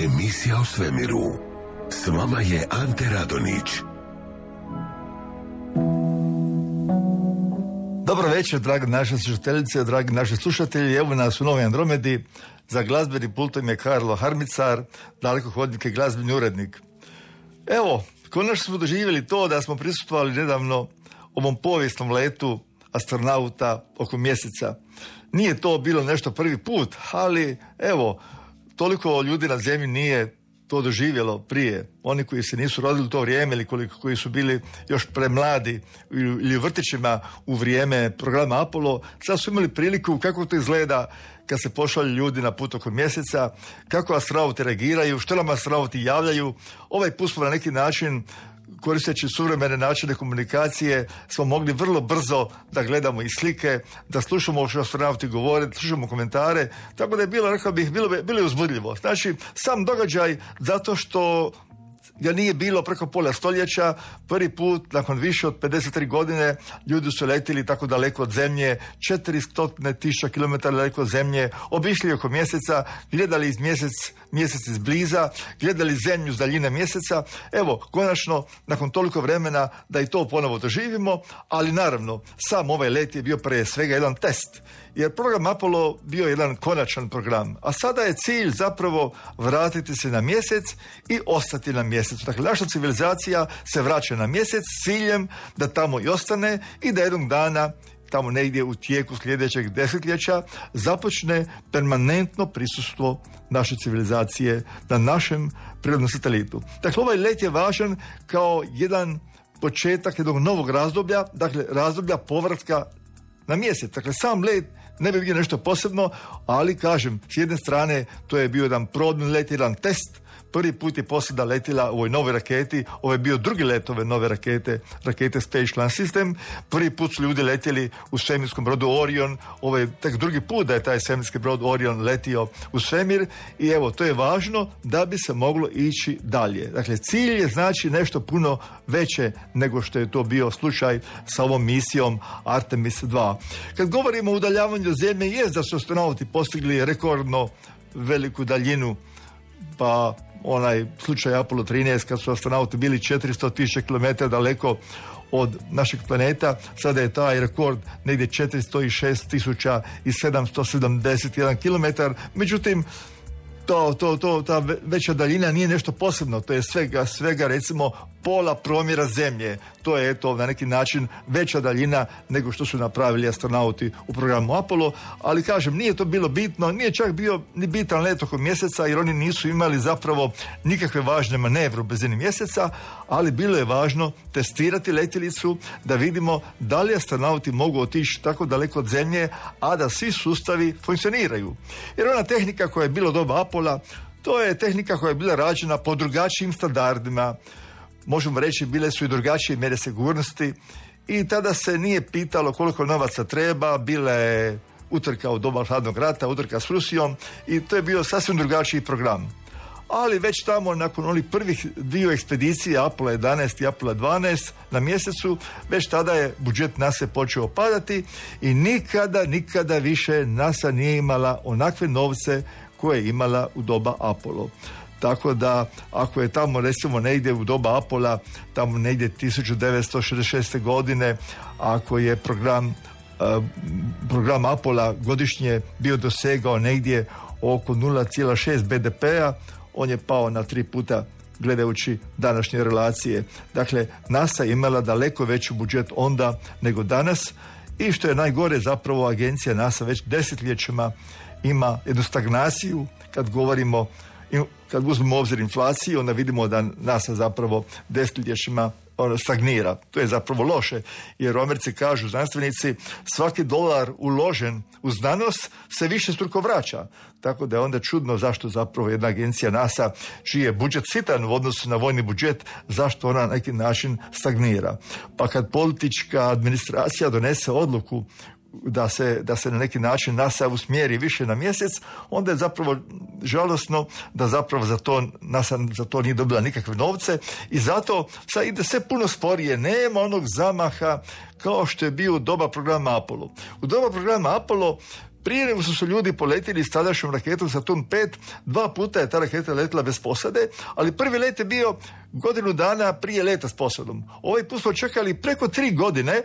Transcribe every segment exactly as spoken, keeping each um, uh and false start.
Emisija o svemiru. S vama je Ante Radonić. Dobro večer, dragi naše slušateljice, dragi naši slušatelji. Evo nas u Novoj Andromedi. Za glazbeni pultom je Karlo Harmicar, dalekohodnik i glazbeni urednik. Evo, konačno smo doživjeli to da smo prisustvovali nedavno ovom povijesnom letu astronauta oko mjeseca. Nije to bilo nešto prvi put, ali evo, toliko ljudi na zemlji nije to doživjelo prije. Oni koji se nisu rodili u to vrijeme ili koliko, koji su bili još premladi ili u vrtićima u vrijeme programa Apollo, sad su imali priliku kako to izgleda kad se pošalju ljudi na put oko mjeseca, kako astronauti reagiraju, što nam astronauti javljaju. Ovaj put smo na neki način, koristeći suvremene načine komunikacije, smo mogli vrlo brzo da gledamo i slike, da slušamo što astronauti govore, da slušamo komentare, tako da je bilo, rekao bih, bilo, bilo je uzbudljivo. Znači, sam događaj, zato što ga nije bilo preko pola stoljeća, prvi put nakon više od pedeset tri godine ljudi su letili tako daleko od zemlje, četiristo tisuća kilometara daleko od zemlje, obišli oko mjeseca, gledali iz mjesec, mjesec izbliza, gledali zemlju s daljine mjeseca. Evo, konačno, nakon toliko vremena da i to ponovo doživimo, ali naravno, sam ovaj let je bio prije svega jedan test. Jer program Apollo bio jedan konačan program, a sada je cilj zapravo vratiti se na mjesec i ostati na mjesecu. Dakle, naša civilizacija se vraća na mjesec s ciljem da tamo i ostane i da jednog dana, tamo negdje u tijeku sljedećeg desetljeća, započne permanentno prisustvo naše civilizacije na našem prirodnom satelitu. Dakle, ovaj let je važan kao jedan početak jednog novog razdoblja, dakle razdoblja povratka na mjesec. Dakle, sam let ne bi bio nešto posebno, ali kažem, s jedne strane to je bio jedan probni let, jedan test. Prvi put je posada letila u ovoj novoj raketi, ovo je bio drugi let ove nove rakete, rakete Space Launch System. Prvi put su ljudi letjeli u svemirskom brodu Orion, ovo je tek drugi put da je taj svemirski brod Orion letio u svemir i evo, to je važno da bi se moglo ići dalje. Dakle, cilj je znači nešto puno veće nego što je to bio slučaj sa ovom misijom Artemis dva. Kad govorimo o udaljavanju od zemlje, jest da su astronauti postigli rekordno veliku daljinu, pa onaj slučaj Apollo trinaest kad su astronauti bili četiristo tisuća kilometara daleko od našeg planeta, sada je taj rekord negdje četiristo šest tisuća sedamsto sedamdeset jedan kilometar. Međutim, to, to, to, ta veća daljina nije nešto posebno, to je svega, svega recimo pola promjera zemlje. To je eto na neki način veća daljina nego što su napravili astronauti u programu Apollo, ali kažem, nije to bilo bitno, nije čak bio ni bitan let oko mjeseca jer oni nisu imali zapravo nikakve važne manevre u blizini mjeseca, ali bilo je važno testirati letjelicu da vidimo da li astronauti mogu otići tako daleko od zemlje, a da svi sustavi funkcioniraju. Jer ona tehnika koja je bila doba Apollo, to je tehnika koja je bila rađena po drugačijim standardima. Možemo reći, bile su i drugačije mjere sigurnosti i tada se nije pitalo koliko novaca treba, bila je utrka u doba hladnog rata, utrka s Rusijom i to je bio sasvim drugačiji program. Ali već tamo nakon onih prvih dviju ekspedicija Apollo jedanaest i Apollo dvanaest na mjesecu, već tada je budžet NASA počeo padati i nikada, nikada više NASA nije imala onakve novce koje je imala u doba Apollo. Tako da, ako je tamo recimo negdje u doba Apollo, tamo negdje tisuću devetsto šezdeset šeste godine, ako je program, uh, program Apollo godišnje bio dosegao negdje oko nula zarez šest be de pea, on je pao na tri puta gledajući današnje relacije. Dakle, NASA je imala daleko veći budžet onda nego danas i što je najgore, zapravo agencija NASA već desetljećima ima jednu stagnaciju kad govorimo. Kad uzmemo u obzir inflaciju, onda vidimo da NASA zapravo desetljećima stagnira. To je zapravo loše, jer u Americi kažu znanstvenici, svaki dolar uložen u znanost se više struko vraća. Tako da je onda čudno zašto zapravo jedna agencija NASA, čiji je budžet sitan u odnosu na vojni budžet, zašto ona na neki način stagnira. Pa kad politička administracija donese odluku da se, da se na neki način NASA usmjeri više na mjesec, onda je zapravo žalosno da zapravo za to NASA za to nije dobila nikakve novce i zato sad ide sve puno sporije, nema onog zamaha kao što je bio u doba programa Apollo. U doba programa Apollo Prije nego su se ljudi poletili s tadašnjom raketom Saturn pet, dva puta je ta raketa letila bez posade, ali prvi let je bio godinu dana prije leta s posadom. Ovaj put smo čekali preko tri godine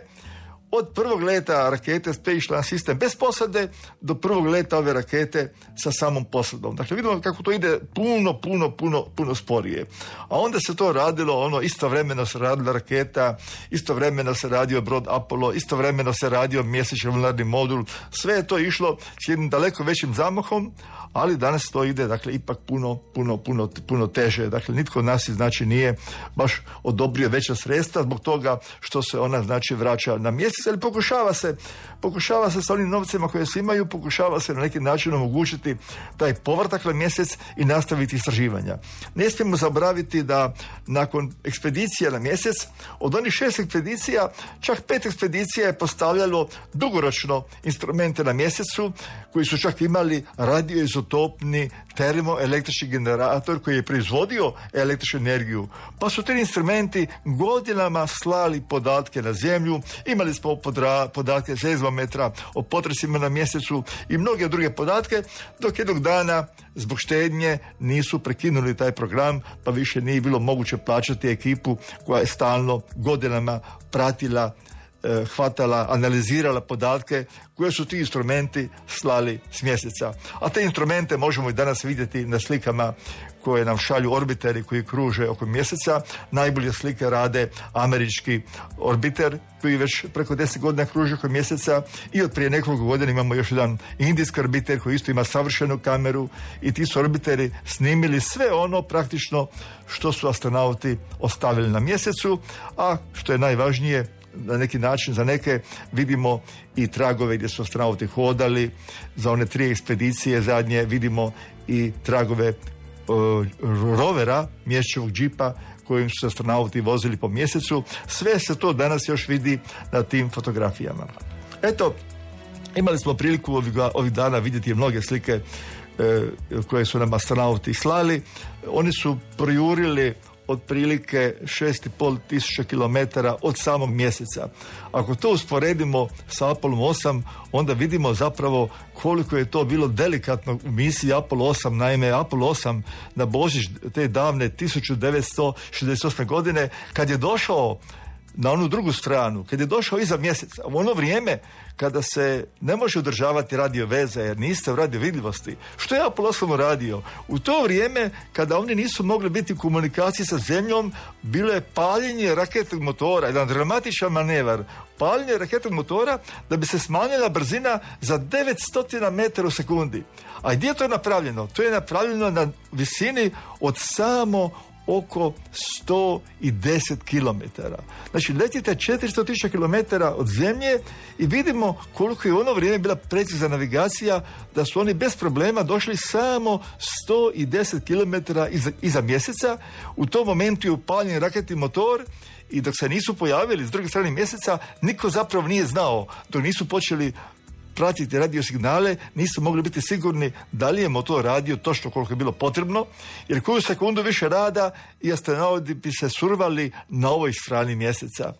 od prvog leta rakete Space Launch System bez posade do prvog leta ove rakete sa samom posadom. Dakle, vidimo kako to ide puno, puno, puno, puno sporije. A onda se to radilo, ono, istovremeno se radila raketa, istovremeno se radio brod Apollo, istovremeno se radio mjesečni lunarni modul. Sve je to išlo s jednim daleko većim zamahom, ali danas to ide, dakle, ipak puno, puno, puno, puno teže. Dakle, nitko od nas, znači, nije baš odobrio veća sredstva zbog toga što se ona, znači, vraća na mjesec, ali pokušava se, pokušava se sa onim novcima koje se imaju, pokušava se na neki način omogućiti taj povratak na mjesec i nastaviti istraživanja. Ne smijemo zaboraviti da nakon ekspedicija na mjesec, od onih šest ekspedicija, čak pet ekspedicija je postavljalo dugoročno instrumente na mjesecu, koji su čak imali radioizotopni termoelektrični generator koji je proizvodio električnu energiju. Pa su ti instrumenti godinama slali podatke na zemlju, imali smo podra, podatke seizmometra o potresima na mjesecu i mnoge druge podatke, dok jednog dana zbog štednje nisu prekinuli taj program, pa više nije bilo moguće plaćati ekipu koja je stalno godinama pratila, hvatala, analizirala podatke koje su ti instrumenti slali s mjeseca. A te instrumente možemo i danas vidjeti na slikama koje nam šalju orbiteri koji kruže oko mjeseca. Najbolje slike rade američki orbiter koji već preko deset godina kruži oko mjeseca, i od prije nekoliko godina imamo još jedan indijski orbiter koji isto ima savršenu kameru, i ti su orbiteri snimili sve ono praktično što su astronauti ostavili na mjesecu, a što je najvažnije, na neki način za neke vidimo i tragove gdje su astronauti hodali. Za one tri ekspedicije zadnje vidimo i tragove uh, rovera, mjesečevog džipa kojim su astronauti vozili po mjesecu. Sve se to danas još vidi na tim fotografijama. Eto, imali smo priliku ovih, ovih dana vidjeti mnoge slike uh, koje su nam astronauti slali. Oni su projurili otprilike šest i pol tisuća kilometara od samog mjeseca. Ako to usporedimo sa Apollo osam, onda vidimo zapravo koliko je to bilo delikatno u misiji Apollo osam. Naime, Apollo osam na Božić te davne tisuću devetsto šezdeset osme godine, kad je došao na onu drugu stranu, kad je došao iza mjeseca, u ono vrijeme kada se ne može održavati radio veza jer niste u radio vidljivosti, što je Apollo osam radio? U to vrijeme kada oni nisu mogli biti u komunikaciji sa zemljom, bilo je paljenje raketnog motora, jedan dramatičan manevar, paljenje raketnog motora da bi se smanjila brzina za devetsto metara u sekundi. A gdje je to napravljeno? To je napravljeno na visini od samo oko sto deset kilometara. Znači, letite četiristo tisuća kilometara od zemlje i vidimo koliko je u ono vrijeme bila precizna navigacija, da su oni bez problema došli samo sto deset kilometara iza, iza mjeseca. U tom momentu je upaljen raketni motor i dok se nisu pojavili s druge strane mjeseca, niko zapravo nije znao, dok nisu počeli pratiti radio signale, nisu mogli biti sigurni da li je motor radio točno koliko je bilo potrebno, jer koju sekundu više rada i astronauti bi se survali na ovoj strani mjeseca.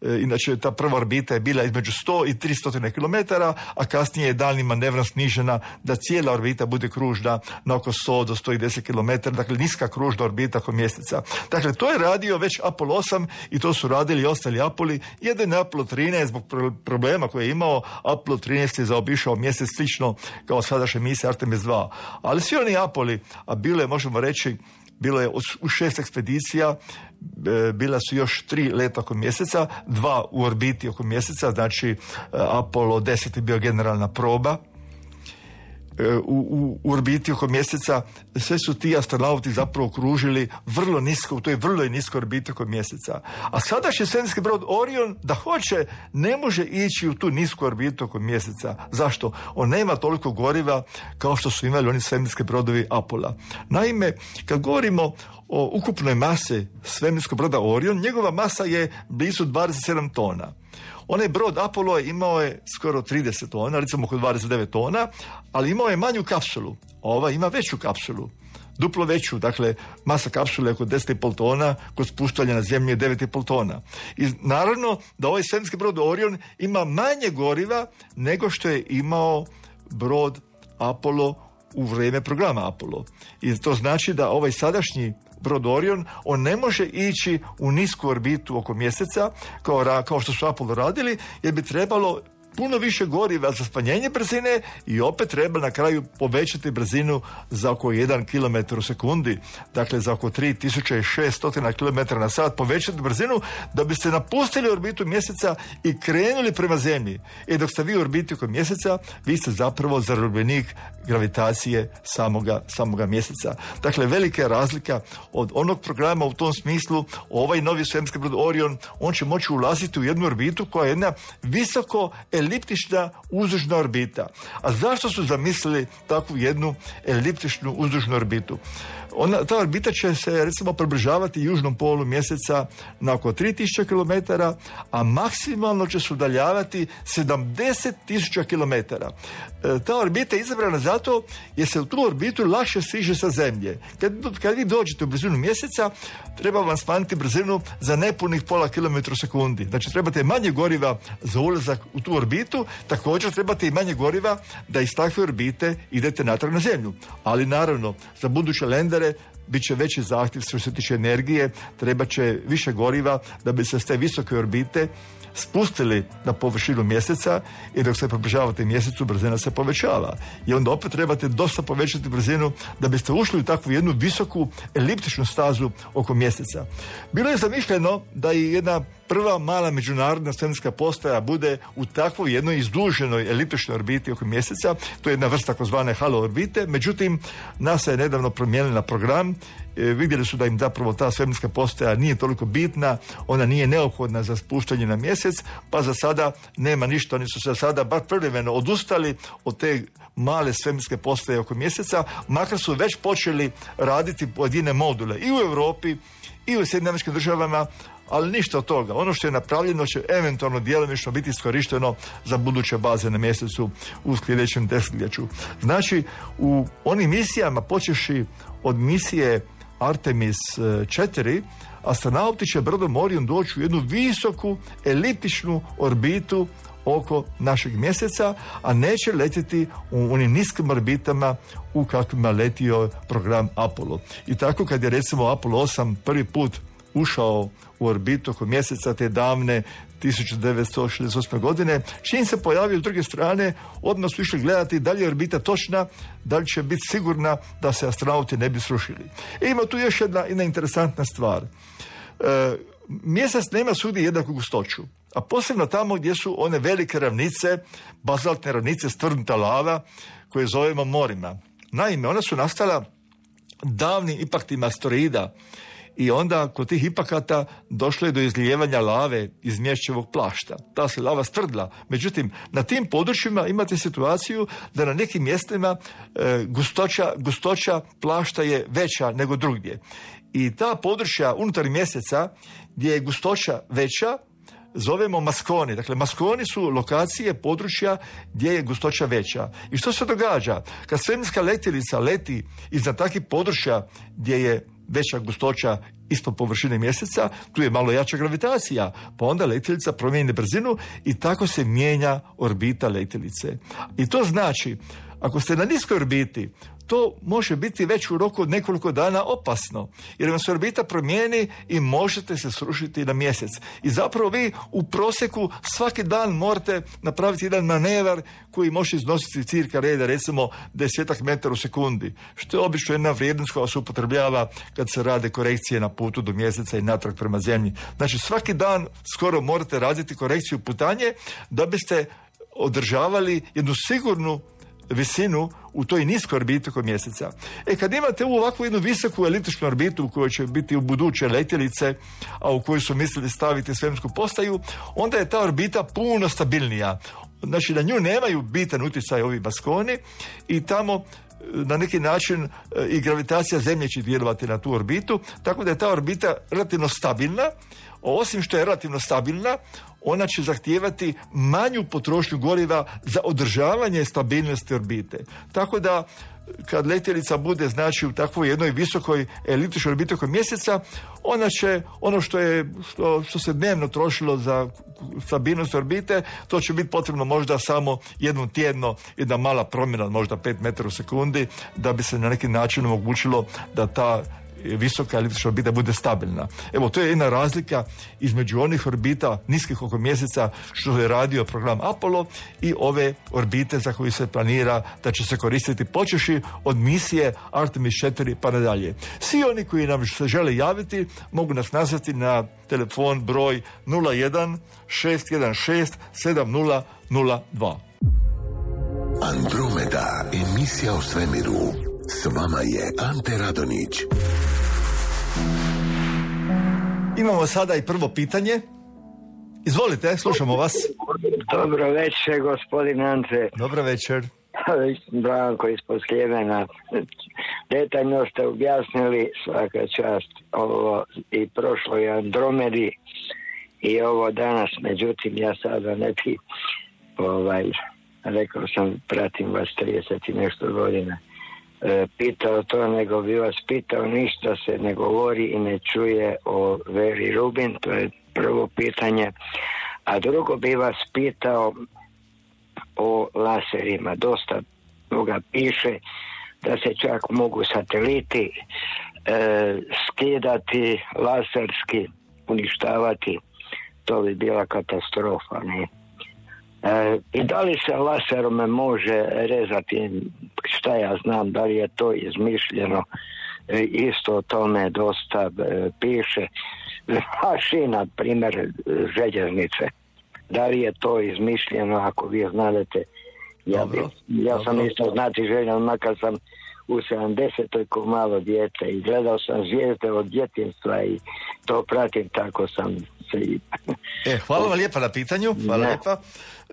E, inače, ta prva orbita je bila između sto i tristo kilometara, a kasnije je daljnjim manevrom snižena da cijela orbita bude kružna na oko sto do sto deset kilometara, dakle niska kružna orbita oko mjeseca. Dakle, to je radio već Apollo osam i to su radili i ostali Apolli. Jedan je Apollo trinaest zbog problema koje je imao. Apollo trinaest je zaobišao mjesec slično kao sadašnja misija Artemis dva. Ali svi oni Apolli, a bilo je, možemo reći, bilo je u šest ekspedicija, bila su još tri leta oko mjeseca, dva u orbiti oko mjeseca, znači Apollo deset je bio generalna proba. U, u, u orbiti oko mjeseca sve su ti astronauti zapravo kružili vrlo nisko, u toj vrlo niskoj orbiti oko mjeseca. A sadašnji svemirski brod Orion, da hoće, ne može ići u tu nisku orbitu oko mjeseca. Zašto? On nema toliko goriva kao što su imali oni svemirski brodovi Apollo. Naime, kad govorimo o ukupnoj masi svemirskog broda Orion, njegova masa je blizu dvadeset sedam tona. Onaj brod Apollo imao je skoro trideset tona, recimo oko dvadeset devet tona, ali imao je manju kapsulu. Ova ima veću kapsulu, duplo veću, dakle masa kapsule je oko deset i pol tona, kod spuštanja na zemlju je devet i pol tona. I naravno da ovaj svemirski brod Orion ima manje goriva nego što je imao brod Apollo u vrijeme programa Apollo. I to znači da ovaj sadašnji brod Orion, on ne može ići u nisku orbitu oko mjeseca kao, kao što su Apollo radili, jer bi trebalo puno više goriva za smanjenje brzine i opet treba na kraju povećati brzinu za oko jedan kilometar u sekundi, dakle za oko tri tisuće šesto kilometara na sat povećati brzinu da biste napustili orbitu mjeseca i krenuli prema zemlji. I dok ste vi u orbiti oko mjeseca, vi ste zapravo zarobljenik gravitacije samoga, samoga mjeseca. Dakle, velika je razlika od onog programa u tom smislu. Ovaj novi svemirski brod Orion, on će moći ulaziti u jednu orbitu koja je jedna visoko eliptična uzdužna orbita. A zašto su zamislili takvu jednu eliptičnu uzdužnu orbitu? Ona, ta orbita će se recimo približavati južnom polu mjeseca na oko tri tisuće kilometara, a maksimalno će se udaljavati sedamdeset tisuća kilometara. E, ta orbita je izabrana zato jer se u tu orbitu lakše stiže sa zemlje. Kad, kad vi dođete u blizinu mjeseca, treba vam smanjiti brzinu za nepunih pola kilometra u sekundi. Znači, trebate manje goriva za ulazak u tu orbitu, također trebate i manje goriva da iz takve orbite idete natrag na zemlju. Ali naravno, za buduće lendere bit će veći zahtjev što se tiče energije, treba će više goriva da bi se s te visoke orbite spustili na površinu mjeseca i dok se približavate mjesecu, brzina se povećava. I onda opet trebate dosta povećati brzinu da biste ušli u takvu jednu visoku eliptičnu stazu oko mjeseca. Bilo je zamišljeno da i jedna prva mala međunarodna svemirska postaja bude u takvoj jednoj izduženoj eliptičnoj orbiti oko mjeseca. To je jedna vrsta takozvane halo orbite. Međutim, NASA je nedavno promijenila program. E, vidjeli su da im zapravo ta svemirska postaja nije toliko bitna, ona nije neophodna za spuštanje na mjesec, pa za sada nema ništa. Oni su se sada bar privremeno odustali od te male svemirske postaje oko mjeseca, makar su već počeli raditi pojedine module i u Europi i u Sjedinjenim Američkim Državama, ali ništa od toga. Ono što je napravljeno će eventualno djelomično biti iskorišteno za buduće baze na mjesecu u sljedećem desetljeću. Znači, u onim misijama, počeši od misije Artemis četiri, astronauti će brodom Orion doći u jednu visoku eliptičnu orbitu oko našeg mjeseca, a neće letjeti u onim niskim orbitama u kakvima letio program Apollo. I tako kad je recimo Apollo osam prvi put ušao u orbitu oko mjeseca te davne tisuću devetsto šezdeset osme. godine, čim se pojavio s druge strane, odmah su išli gledati da li je orbita točna, da li će biti sigurna da se astronauti ne bi srušili. E, ima tu još jedna, jedna interesantna stvar. E, mjesec nema svugdje jednaku gustoću, a posebno tamo gdje su one velike ravnice, bazaltne ravnice, stvrdnuta lava, koje zovemo morima. Naime, ona su nastala davnim impaktima asteroida i onda kod tih impakata došlo je do izlijevanja lave iz mješćevog plašta. Ta se lava stvrdla. Međutim, na tim područjima imate situaciju da na nekim mjestima e, gustoća, gustoća plašta je veća nego drugdje. I ta područja unutar mjeseca gdje je gustoća veća zovemo maskoni. Dakle, maskoni su lokacije, područja gdje je gustoća veća. I što se događa? Kad svemirska letjelica leti iznad takvih područja gdje je veća gustoća ispod površine mjeseca, tu je malo jača gravitacija, pa onda letjelica promijeni brzinu i tako se mijenja orbita letjelice. I to znači, ako ste na niskoj orbiti, to može biti već u roku od nekoliko dana opasno, jer vam se orbita promijeni i možete se srušiti na mjesec. I zapravo vi u prosjeku svaki dan morate napraviti jedan manevar koji može iznositi cirka reda, recimo desetak metara u sekundi, što je obično jedna vrijednost koja se upotrebljava kad se rade korekcije na putu do mjeseca i natrag prema zemlji. Znači, svaki dan skoro morate raditi korekciju putanje da biste održavali jednu sigurnu visinu u toj niskoj orbiti oko mjeseca. E, kad imate u ovakvu jednu visoku eliptičnu orbitu u kojoj će biti u buduće letjelice, a u kojoj su mislili staviti svemirsku postaju, onda je ta orbita puno stabilnija. Znači, na nju nemaju bitan utjecaj ovi maskoni i tamo na neki način i gravitacija Zemlje će djelovati na tu orbitu, tako da je ta orbita relativno stabilna. osim što je relativno stabilna, ona će zahtijevati manju potrošnju goriva za održavanje stabilnosti orbite. Tako da kad letjelica bude znači u takvoj jednoj visokoj eliptičkoj orbiti oko mjeseca, ona će, ono što je što, što se dnevno trošilo za stabilnost orbite, to će biti potrebno možda samo jednom tjedno, jedna mala promjena, možda pet metara u sekundi, da bi se na neki način omogućilo da ta visoka eliptička orbita bude stabilna. Evo, to je jedna razlika između onih orbita niskih oko mjeseca što je radio program Apollo i ove orbite za koju se planira da će se koristiti počeši od misije Artemis četiri pa nadalje. Svi oni koji nam se žele javiti mogu nas nazvati na telefon broj nula jedan šest jedan šest sedam nula nula dva. Andromeda, emisija o svemiru. S vama je Ante Radonić. Imamo sada i prvo pitanje. Izvolite, slušamo vas. Dobro večer, gospodin Ante. Dobro večer. Branko ispod Sljemena. Detaljno ste objasnili, svaka čast, ovo i prošloj Andromedi i ovo danas. Međutim, ja sada neki, ovaj, rekao sam, pratim vas trideset i nešto godina. Pitao to, nego bi vas pitao, ništa se ne govori i ne čuje o Veri Rubin, to je prvo pitanje. A drugo bi vas pitao o laserima. Dosta toga piše da se čak mogu sateliti e, skidati, laserski uništavati. To bi bila katastrofa, ne? E, I da li se laserom može rezati, šta ja znam, da li je to izmišljeno, e, isto o tome dosta e, piše. Mašina, primjer željeznice, da li je to izmišljeno, ako vi znate. Ja, bi, ja sam dobro. Isto znati željan, makar sam u sedamdesetoj ko malo dijete i gledao sam zvijezde od djetinjstva i to pratim, tako sam se i... E, hvala vam lijepa na pitanju, hvala lijepa.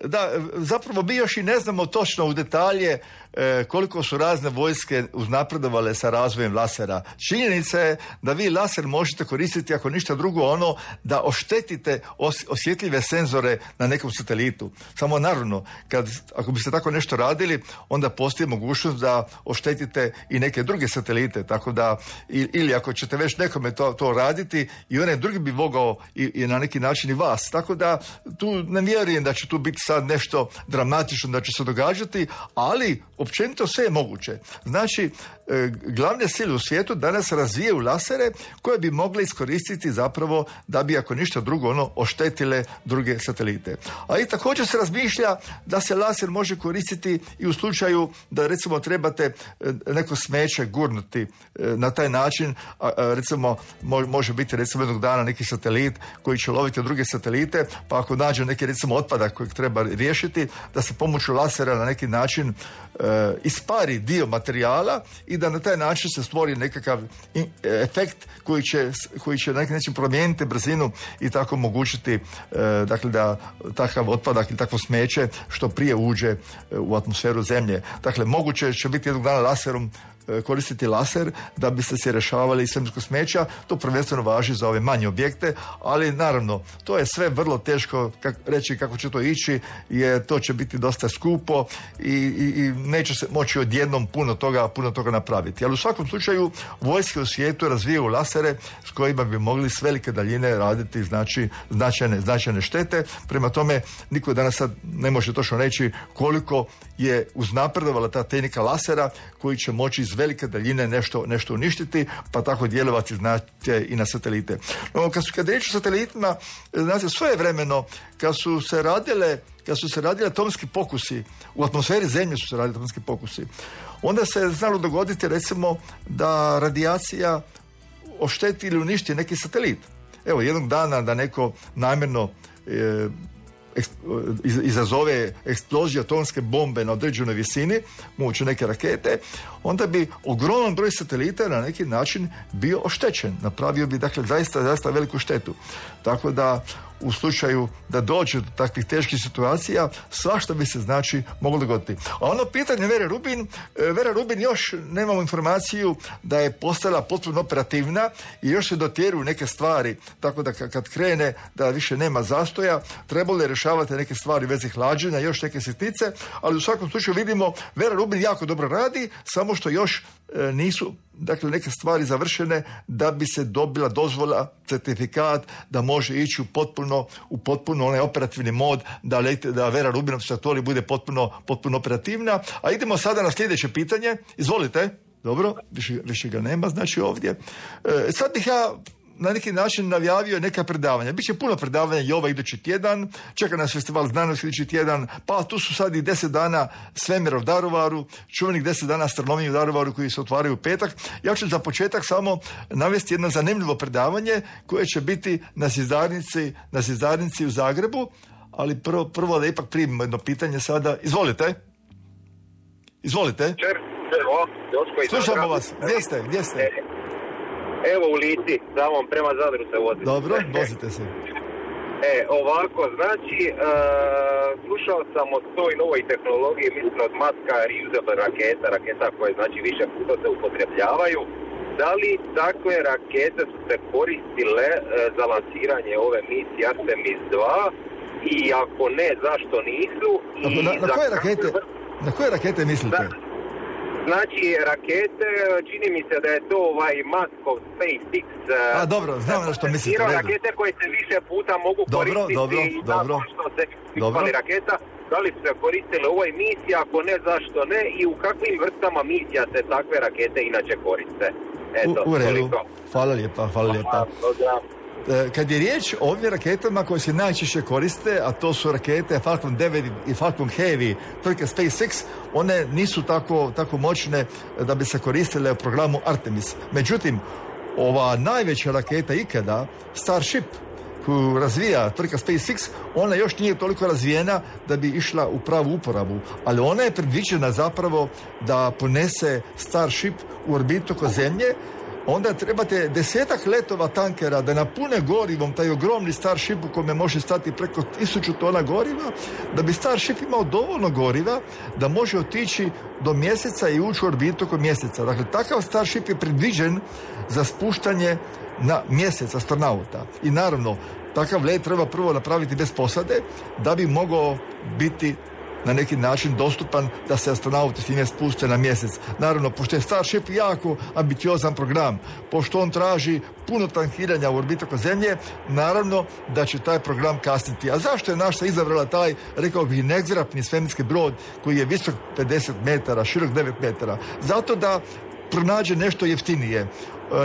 Da, zapravo mi još i ne znamo točno u detalje e, koliko su razne vojske uznapredovale sa razvojem lasera. Činjenica je da vi laser možete koristiti, ako ništa drugo, ono da oštetite os, osjetljive senzore na nekom satelitu. Samo naravno, kad, ako biste tako nešto radili, onda postoji mogućnost da oštetite i neke druge satelite, tako da, ili ako ćete već nekome to, to raditi, i onaj drugi bi mogao i, i na neki način i vas. Tako da tu ne vjerujem da će tu biti sad nešto dramatično da će se događati, ali općenito sve je moguće. Znači, e, glavne sile u svijetu danas razvijaju lasere koje bi mogle iskoristiti zapravo da bi, ako ništa drugo, ono oštetile druge satelite. A i također se razmišlja da se laser može koristiti i u slučaju da recimo trebate neko smeće gurnuti na taj način, a, a, recimo može biti recimo jednog dana neki satelit koji će loviti druge satelite, pa ako nađe neki recimo otpadak kojeg treba riješiti, da se pomoću lasera na neki način e, ispari dio materijala i da na taj način se stvori nekakav in, efekt koji će, koji će na neki način promijeniti brzinu i tako omogućiti e, dakle da takav otpadak ili takvo smeće što prije uđe u atmosferu Zemlje. Dakle, moguće će biti jednog dana laserom koristiti laser da bi se se rješavali svemirskog smeća. To prvenstveno važi za ove manje objekte, ali naravno to je sve vrlo teško kak, reći kako će to ići, jer to će biti dosta skupo i, i, i neće se moći odjednom puno toga, puno toga napraviti. Ali u svakom slučaju vojske u svijetu razvijaju lasere s kojima bi mogli s velike daljine raditi znači značajne, značajne štete. Prema tome niko danas sad ne može točno reći koliko je uznapredovala ta tehnika lasera koji će moći iz velike daljine nešto, nešto uništiti, pa tako djelovati znate i na satelite. No, kad su kad riječ o satelitima, znate, svojevremeno kad su se radile kad su se radili atomski pokusi, u atmosferi Zemlje su se radili atomski pokusi, onda se znalo dogoditi recimo da radijacija ošteti ili uništi neki satelit. Evo, jednog dana da neko namjerno e, izazove eksploziju atomske bombe na određenoj visini, moguće neke rakete, onda bi ogroman broj satelita na neki način bio oštećen. Napravio bi, dakle, zaista, zaista veliku štetu. Tako da u slučaju da dođe do takvih teških situacija, svašta bi se znači moglo dogoditi. A ono pitanje Vere Rubin, Vera Rubin još nemamo informaciju da je postala potpuno operativna i još se dotjeruju neke stvari, tako da kad krene da više nema zastoja, trebalo je rješavati neke stvari u vezi hlađenja, još neke sitnice, ali u svakom slučaju vidimo Vera Rubin jako dobro radi, samo što još e, nisu dakle neke stvari završene da bi se dobila dozvola, certifikat da može ići u potpuno, u potpuno onaj operativni mod, da, da Vera Rubinov Sartori bude potpuno, potpuno operativna. A idemo sada na sljedeće pitanje. Izvolite. Dobro, više, više ga nema, znači ovdje. E, sad bih ja na neki način najavio neka predavanja. Biće puno predavanja i ovaj idući tjedan, čeka nas festival znanosti idući tjedan, pa tu su sad i deset dana svemira u Daruvaru, čuvenih deset dana astronomije u Daruvaru koji se otvaraju u petak. Ja ću za početak samo navesti jedno zanimljivo predavanje koje će biti na Zizdarnici, na Zizdarnici u Zagrebu, ali prvo, prvo da ipak primimo jedno pitanje sada. Izvolite. Izvolite. Slušamo vas. Gdje ste? Gdje ste? Evo u Lici, samo prema Zadru se vozim. Dobro, vozite se. E, ovako, znači, uh, slušao sam o toj novoj tehnologiji, mislim od Muska, reusable raketa, raketa koje znači više puta se upotrebljavaju. Da li takve rakete su se koristile uh, za lansiranje ove misije Artemis dva i ako ne, zašto nisu? I na, na, koje rakete, na koje rakete mislite? Da, znači, rakete, čini mi se da je to ovaj Muskov SpaceX. A, dobro, znam na što mislite. Rakete koje se više puta mogu dobro, koristiti dobro, i dobro, što se ispali raketa. Da li su se koristile u ovoj misiji, ako ne, zašto ne? I u kakvim vrstama misija se takve rakete inače koriste? Eto, u, u redu. toliko. Hvala lijepa, hvala lijepa. Kad je riječ o ovim raketama koje se najčešće koriste, a to su rakete Falcon devet i Falcon Heavy, tvrtke SpaceX, one nisu tako, tako moćne da bi se koristile u programu Artemis. Međutim, ova najveća raketa ikada, Starship, koju razvija tvrtka SpaceX, ona još nije toliko razvijena da bi išla u pravu uporabu, ali ona je predviđena zapravo da ponese Starship u orbitu oko Zemlje. Onda trebate desetak letova tankera da napune gorivom taj ogromni Starship u kome može stati preko tisuću tona goriva, da bi Starship imao dovoljno goriva da može otići do mjeseca i ući u orbitu oko mjeseca. Dakle, takav Starship je predviđen za spuštanje na mjesec astronauta. I naravno, takav let treba prvo napraviti bez posade da bi mogao biti na neki način dostupan da se astronauti s njime spuste na mjesec. Naravno, pošto je Starship jako ambiciozan program, pošto on traži puno tankiranja u orbitu oko Zemlje, naravno da će taj program kasniti. A zašto je NASA izabrala taj, rekao bih, nezgrapni svemirski brod koji je visok pedeset metara, širok devet metara? Zato da pronađe nešto jeftinije.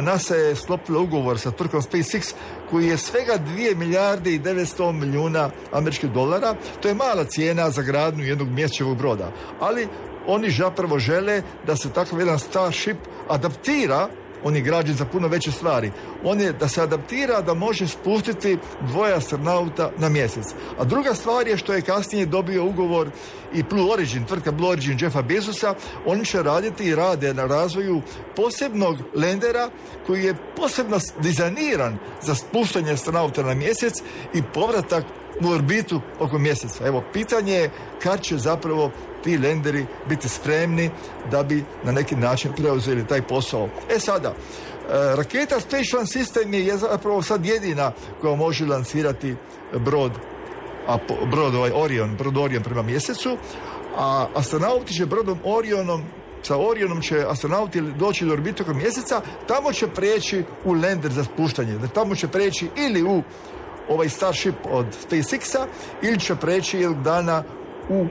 NASA je sklopila ugovor sa tvrtkom SpaceX koji je svega dvije milijarde i devetsto milijuna američkih dolara. To je mala cijena za gradnju jednog mjesečevog broda. Ali oni zapravo žele da se takav jedan Starship adaptira, on je građen za puno veće stvari. On je da se adaptira da može spustiti dvoje astronauta na mjesec. A druga stvar je što je kasnije dobio ugovor i Blue Origin, tvrtka Blue Origin Jeffa Bezosa. Oni će raditi i rade na razvoju posebnog lendera koji je posebno dizajniran za spuštanje astronauta na mjesec i povratak u orbitu oko mjeseca. Evo, pitanje je kad će zapravo ti lenderi biti spremni da bi na neki način preuzeli taj posao. E sada, raketa Space Launch System je zapravo sad jedina koja može lansirati brod, a brod ovaj Orion, brod Orion prema mjesecu, a astronauti će brodom Orionom, sa Orionom će astronauti doći do orbite oko mjeseca, tamo će preći u lender za spuštanje, da tamo će preći ili u ovaj Starship od SpaceX-a ili će preći jednog dana u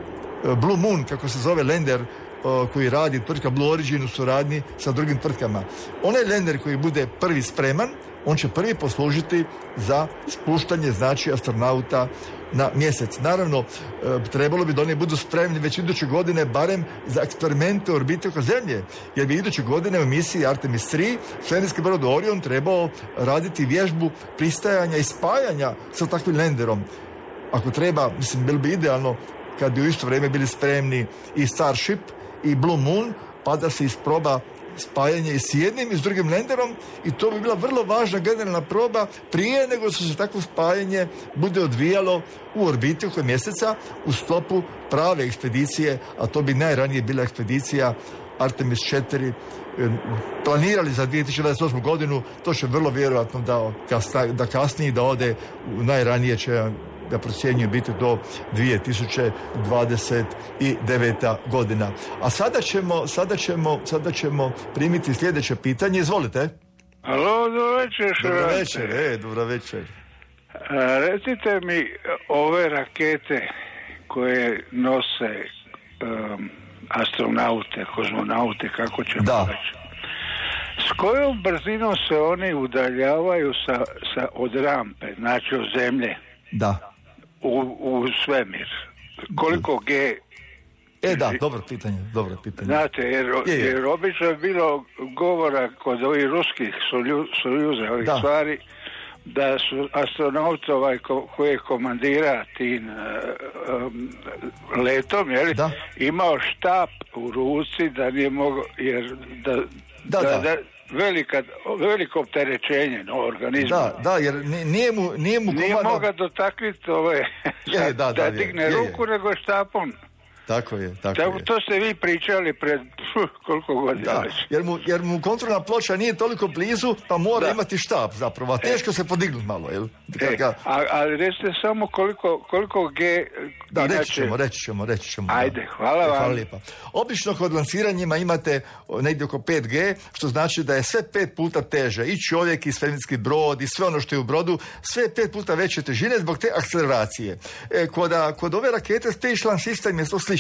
Blue Moon, kako se zove lender uh, koji radi tvrtka Blue Origin u suradnji sa drugim tvrtkama. Onaj lender koji bude prvi spreman, on će prvi poslužiti za spuštanje, znači, astronauta na mjesec. Naravno, uh, trebalo bi da oni budu spremni već iduće godine, barem za eksperimente u orbiti oko Zemlje, jer bi iduće godine u misiji Artemis tri svemirski brod Orion trebao raditi vježbu pristajanja i spajanja sa takvim lenderom. Ako treba, mislim, bilo bi idealno kad bi u isto vrijeme bili spremni i Starship i Blue Moon, pa da se isproba spajanje i s jednim i s drugim lenderom i to bi bila vrlo važna generalna proba prije nego što se takvo spajanje bude odvijalo u orbiti oko mjeseca u sklopu prave ekspedicije, a to bi najranije bila ekspedicija Artemis četiri. Planirali za dvije tisuće dvadeset osmu godinu, to će vrlo vjerojatno da, da kasnije da ode, najranije će da procjenjuje biti do dvije tisuće dvadeset deveta godina. A sada ćemo, sada ćemo, sada ćemo primiti sljedeće pitanje. Izvolite. Alo, dobro večer. Dobro večer, e, dobro večer. A, recite mi, ove rakete koje nose um, astronaute, kozmonaute, kako ćemo da. reći, s kojom brzinom se oni udaljavaju sa, sa, od rampe, znači od zemlje? Da. U, u svemir. Koliko G... E da, dobro pitanje, dobro pitanje. Znate, jer, je, je. jer obično je bilo govora kod ovih ruskih sojuza, ovih da. stvari, da su astronauti ovaj ko, koji je komandira tim um, letom, jel, da. imao štap u ruci da nije mogao, jer da, da, da, da. da velika, veliko opterećenje na organizmu. Da, da, jer nije mu nije mu nije komandno... mogao dotaknuti ove je, da, da, da je, digne je, je. ruku nego štapom. Tako je, tako to, je. To ste vi pričali pred pf, koliko godina da, već. Jer mu, jer mu kontrolna ploča nije toliko blizu, pa mora da. imati štap zapravo, a teško e. se podignuti malo, jel? E, ga... a, ali recite samo koliko, koliko G... Da, inače... reći ćemo, reći ćemo, reći ćemo. Ajde, da. hvala vam. Hvala lijepa. Obično kod lansiranjima imate negdje oko pet G, što znači da je sve pet puta teže. I čovjek, i svemirski brod, i sve ono što je u brodu, sve je pet puta veće težine zbog te akceleracije. E, kod, kod ove rakete Space Launch System je to slično.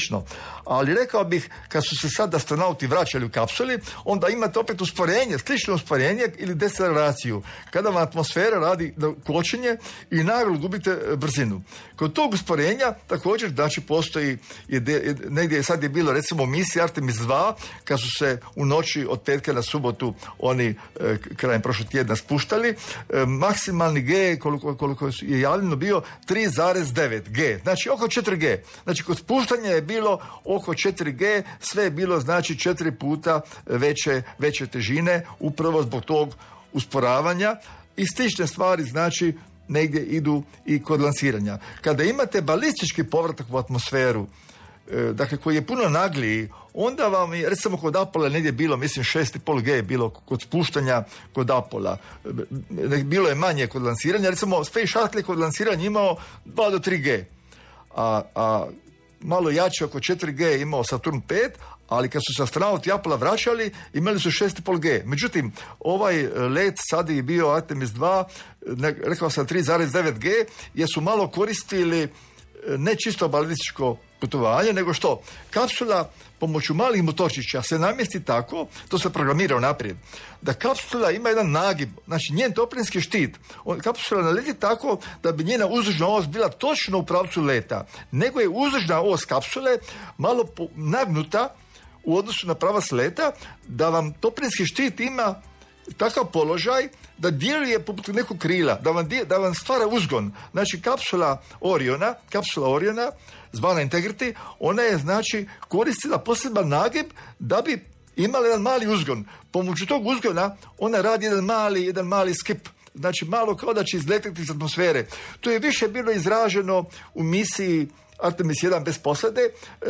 Ali rekao bih, kad su se sad astronauti vraćali u kapsuli, onda imate opet usporenje, slično usporenje ili deceleracijiju. Kada vam atmosfera radi kočenje i naglo gubite brzinu. Kod tog usporenja također, znači, postoji, je de, je, negdje sad je bilo, recimo, u misiji Artemis dva, kad su se u noći od petka na subotu oni e, krajem prošlog tjedna spuštali, e, maksimalni G, koliko, koliko je javljeno, bio tri zarez devet G, znači oko četiri G. Znači, kod spuštanja je bilo oko četiri G, sve je bilo, znači, četiri puta veće, veće težine, upravo zbog tog usporavanja i slične stvari, znači, negdje idu i kod lansiranja. Kada imate balistički povratak u atmosferu, e, dakle, koji je puno nagliji, onda vam je, recimo, kod Apola negdje bilo, mislim, šest i pol G je bilo kod spuštanja kod Apola. E, bilo je manje kod lansiranja, recimo, Space Shuttle kod lansiranja imao dva do tri G. A, a malo jače, oko četiri G je imao Saturn pet, ali kad su se astronauti Apola vraćali, imali su šest i pol G. Međutim, ovaj let sad je bio Artemis dva, ne, rekao sam tri zarez devet G, jer su malo koristili ne čisto balističko putovanje, nego što? Kapsula pomoću malih motorčića se namjesti tako, to se programira naprijed, da kapsula ima jedan nagib, znači njen toplinski štit. On, kapsula ne leti tako da bi njena uzdužna os bila točno u pravcu leta, nego je uzdužna os kapsule malo po, nagnuta u odnosu na pravac leta, da vam toplinski štit ima takav položaj da djeluje poput nekog krila, da vam, da vam stvara uzgon. Znači, kapsula Oriona, kapsula Oriona, zvana Integrity, ona je, znači, koristila poseban nagib da bi imala jedan mali uzgon. Pomoću tog uzgona ona radi jedan mali, jedan mali skip, znači malo kao da će izletiti iz atmosfere. To je više bilo izraženo u misiji Artemis jedan bez posade,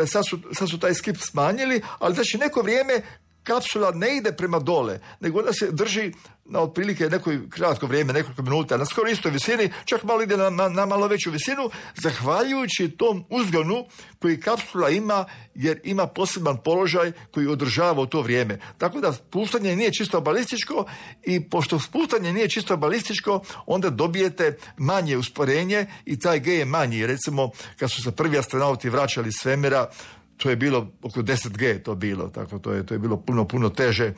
sad su, sad su taj skip smanjili, ali znači neko vrijeme kapsula ne ide prema dole, nego ona se drži na otprilike neko kratko vrijeme, nekoliko minuta, na skoro istoj visini, čak malo ide na, na, na malo veću visinu, zahvaljujući tom uzgonu koji kapsula ima, jer ima poseban položaj koji održava u to vrijeme. Tako da spuštanje nije čisto balističko i pošto spuštanje nije čisto balističko, onda dobijete manje usporenje i taj G je manji. Recimo, kad su se prvi astronauti vraćali iz svemira, to je bilo oko deset G to bilo, tako to je, to je bilo puno, puno teže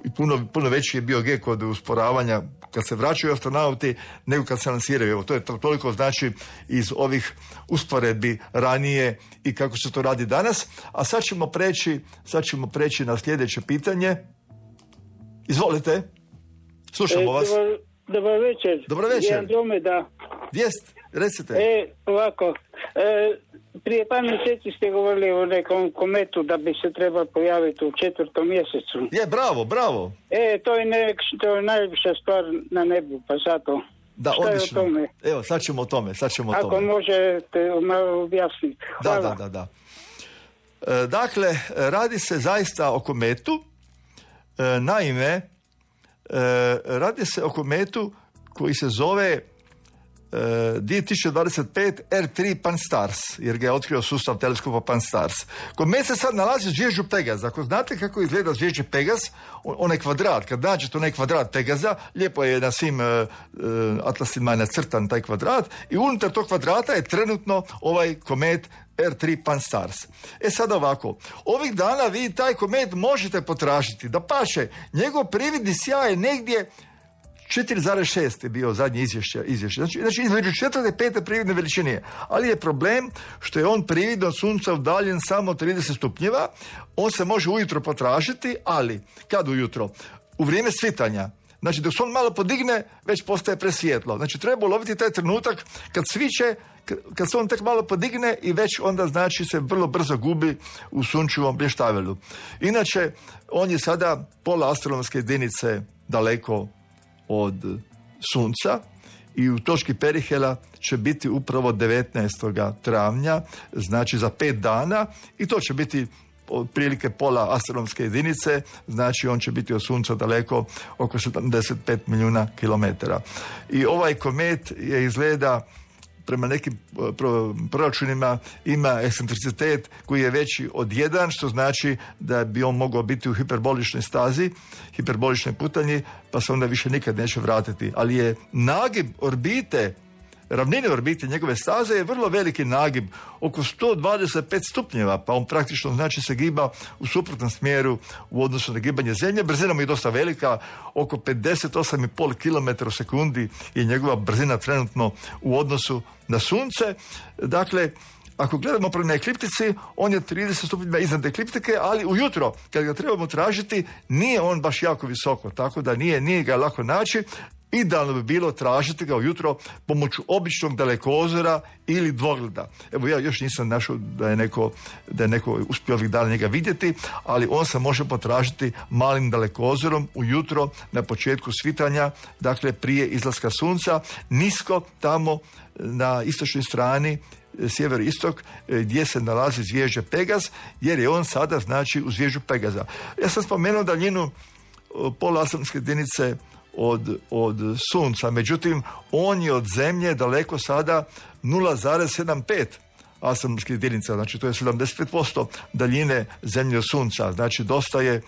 i puno, puno veći je bio G kod usporavanja kad se vraćaju astronauti nego kad se lansiraju. Evo, to je toliko, znači, iz ovih usporedbi ranije i kako se to radi danas. A sad ćemo preći, sad ćemo preći na sljedeće pitanje. Izvolite. Slušamo e, vas. Dobar, dobar večer. Dobar večer. Andromeda. Vijest, recite. E, ovako. E, prije par mjeseci ste govorili o nekom kometu da bi se trebao pojaviti u četvrtom mjesecu. Je, bravo, bravo. E, to je, ne, to je najljepša stvar na nebu, pa zato. Da, šta odlično. je o tome? Evo, sad ćemo o tome, sad ćemo o tome. Ako možete malo objasniti. Hvala. Da, da, da, da. E, dakle, radi se zaista o kometu. E, naime, e, radi se o kometu koji se zove dvije tisuće dvadeset pet R tri Pan-STARRS, jer ga je otkrio sustav teleskopa Pan-STARRS. Komet se sad nalazi u zvježđu Pegaz. Ako znate kako izgleda zvježđe Pegaz, onaj kvadrat, kad nađete onaj kvadrat Pegaza, lijepo je na svim uh, atlasima nacrtan taj kvadrat i unutar tog kvadrata je trenutno ovaj komet R tri Pan-STARRS. E sad ovako, ovih dana vi taj komet možete potražiti, da paše, njegov prividni sjaj je negdje četiri zarez šest je bio zadnje izvješće. izvješće. Znači, znači između četvrte i pete prividne veličine. Ali je problem što je on prividno od sunca udaljen samo trideset stupnjeva. On se može ujutro potražiti, ali kad ujutro? U vrijeme svitanja. Znači dok se on malo podigne, već postaje presvjetlo. Znači treba uloviti taj trenutak kad sviće, kad se on tek malo podigne i već onda znači se vrlo brzo gubi u sunčevom blještavelu. Inače, on je sada pola astronomske jedinice daleko od sunca i u točki Perihela će biti upravo devetnaestog travnja, znači za pet dana, i to će biti otprilike pola astronomske jedinice, znači on će biti od sunca daleko oko sedamdeset pet milijuna kilometara. I ovaj komet je izgleda prema nekim proračunima ima ekscentricitet koji je veći od jedan, što znači da bi on mogao biti u hiperboličnoj stazi, hiperboličnoj putanji, pa se onda više nikad neće vratiti. Ali je nagib orbite, ravnine orbite njegove staze je vrlo veliki nagib, oko sto dvadeset pet stupnjeva, pa on praktično znači se giba u suprotnom smjeru u odnosu na gibanje Zemlje. Brzina mu je dosta velika, oko pedeset osam zarez pet kilometara u sekundi je njegova brzina trenutno u odnosu na Sunce. Dakle, ako gledamo prema ekliptici, on je trideset stupnjeva iznad ekliptike, ali ujutro, kad ga trebamo tražiti, nije on baš jako visoko, tako da nije, nije ga lako naći. Idealno bi bilo tražiti ga ujutro pomoću običnog dalekozora ili dvogleda. Evo, ja još nisam našao da je neko, da je neko uspio ovih dana njega vidjeti, ali on se može potražiti malim dalekozorom ujutro na početku svitanja, dakle prije izlaska sunca, nisko tamo na istočnoj strani, sjeveroistok, gdje se nalazi zvježđe Pegaz, jer je on sada znači u zvježđu Pegaza. Ja sam spomenuo daljinu pola astronomske jedinice od, od sunca, međutim on je od Zemlje daleko sada nula zarez sedamdeset pet astronomskih jedinica, znači to je sedamdeset pet posto daljine Zemlje od sunca, znači dosta je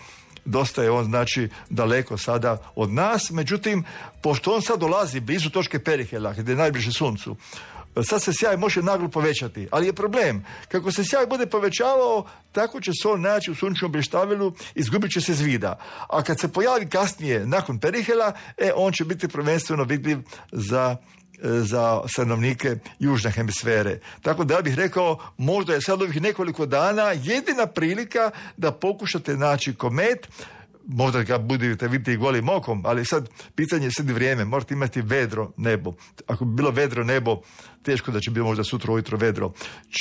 dosta je on znači daleko sada od nas, međutim pošto on sad dolazi blizu točke Perihela gdje je najbliže suncu, sad se sjaj može naglo povećati, ali je problem, kako se sjaj bude povećavao, tako će se on naći u sunčevom blještavelu, izgubit će se iz vida. A kad se pojavi kasnije, nakon Perihela, e, on će biti prvenstveno vidljiv za, za stanovnike južne hemisfere. Tako da ja bih rekao, možda je sad ovih nekoliko dana jedina prilika da pokušate naći komet, možda ga budete vidjeti golim okom, ali sad pitanje je sad vrijeme, morate imati vedro nebo. Ako bi bilo vedro nebo, teško da će biti možda sutra ujutro vedro.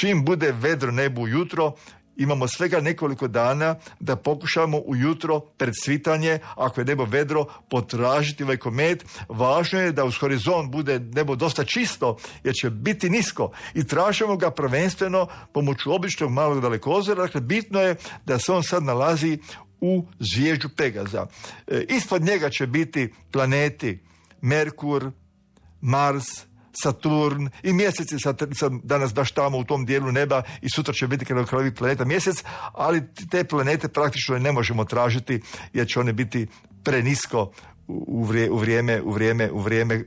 Čim bude vedro nebo ujutro, imamo svega nekoliko dana da pokušamo ujutro pred svitanje, ako je nebo vedro, potražiti ovaj komet. Važno je da uz horizont bude nebo dosta čisto, jer će biti nisko, i tražimo ga prvenstveno pomoću običnog malog dalekozora. Dakle, bitno je da se on sad nalazi u zvježđu Pegaza. E, ispod njega će biti planeti Merkur, Mars, Saturn i mjesec je sad, sad danas baš tamo u tom dijelu neba i sutra će biti kada krajevi planeta mjesec, ali te planete praktično ne možemo tražiti jer će one biti prenisko u vrijeme, u vrijeme, u vrijeme